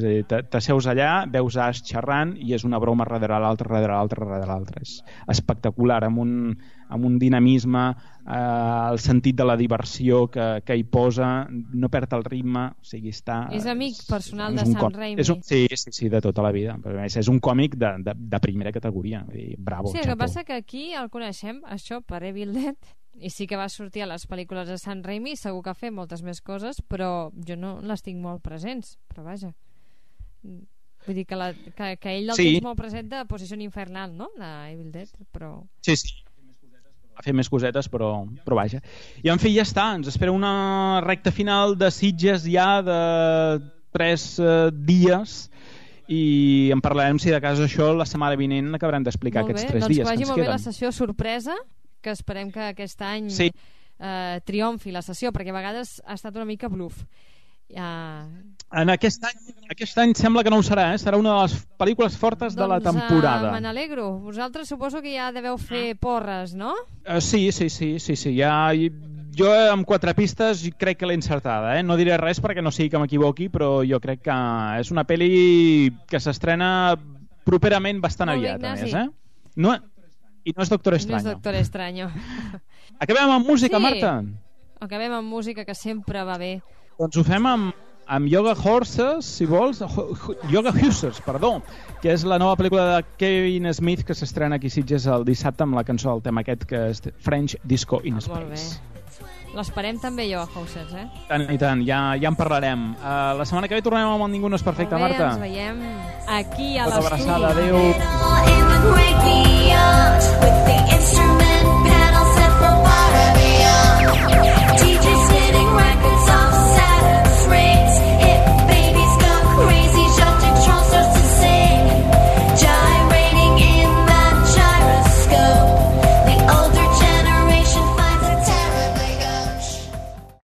A: a dir, t'asseus allà, veus Ash xerrant i és una broma darrere l'altra. És espectacular, amb un dinamisme, el sentit de la diversió que hi posa, no perd el ritme, o sigui, està...
B: És amic personal de Sam Raimi.
A: Sí, de tota la vida. Però a més, és un còmic de primera categoria. Bravo,
B: sí, el que passa que aquí el coneixem, això, per Evil Dead, i sí que va sortir a les pel·lícules de Sam Raimi, segur que ha fet moltes més coses, però jo no les tinc molt presents, però vaja. Vull dir que ell el tens molt present de Posició Infernal, no?, de Evil Dead, però...
A: Sí. A fer més cosetes, però vaja. I en fi, ja està, ens espera una recta final de Sitges ja de 3 dies, i en parlarem, si de cas això, la setmana vinent acabarem d'explicar aquests 3 dies.
B: Doncs que vagi molt bé la sessió sorpresa, que esperem que aquest any triomfi la sessió, perquè a vegades ha estat una mica bluff.
A: En aquest any sembla que no ho serà, serà una de les pel·lícules fortes de la temporada.
B: Me n'alegro. Vosaltres suposo que ja deveu fer porres, no?
A: Sí. Ja, jo amb 4 pistes crec que l'he encertada. No diré res perquè no sigui que m'equivoqui, però jo crec que és una pel·li que s'estrena properament bastant aviat, a més. I no és Doctor Extraño.
B: No és Doctor Extraño.
A: Acabem amb música,
B: Sí.
A: Marta?
B: Acabem amb música, que sempre va bé.
A: Doncs ho fem amb Yoga Horses, si vols, Yoga Hussars, perdó, que és la nova pel·lícula de Kevin Smith que s'estrena aquí a Sitges el dissabte amb la cançó del tema aquest que és French Disco in Space.
B: Molt bé. L'esperem també, Yoga Houses,
A: Tant i tant, ja en parlarem. La setmana que ve tornem amb el Ningú no és perfecte,
B: Molt bé,
A: Marta.
B: ens veiem aquí a
A: Una
B: l'estudi.
A: abraçada, adéu.
C: It would break me out with the instrument.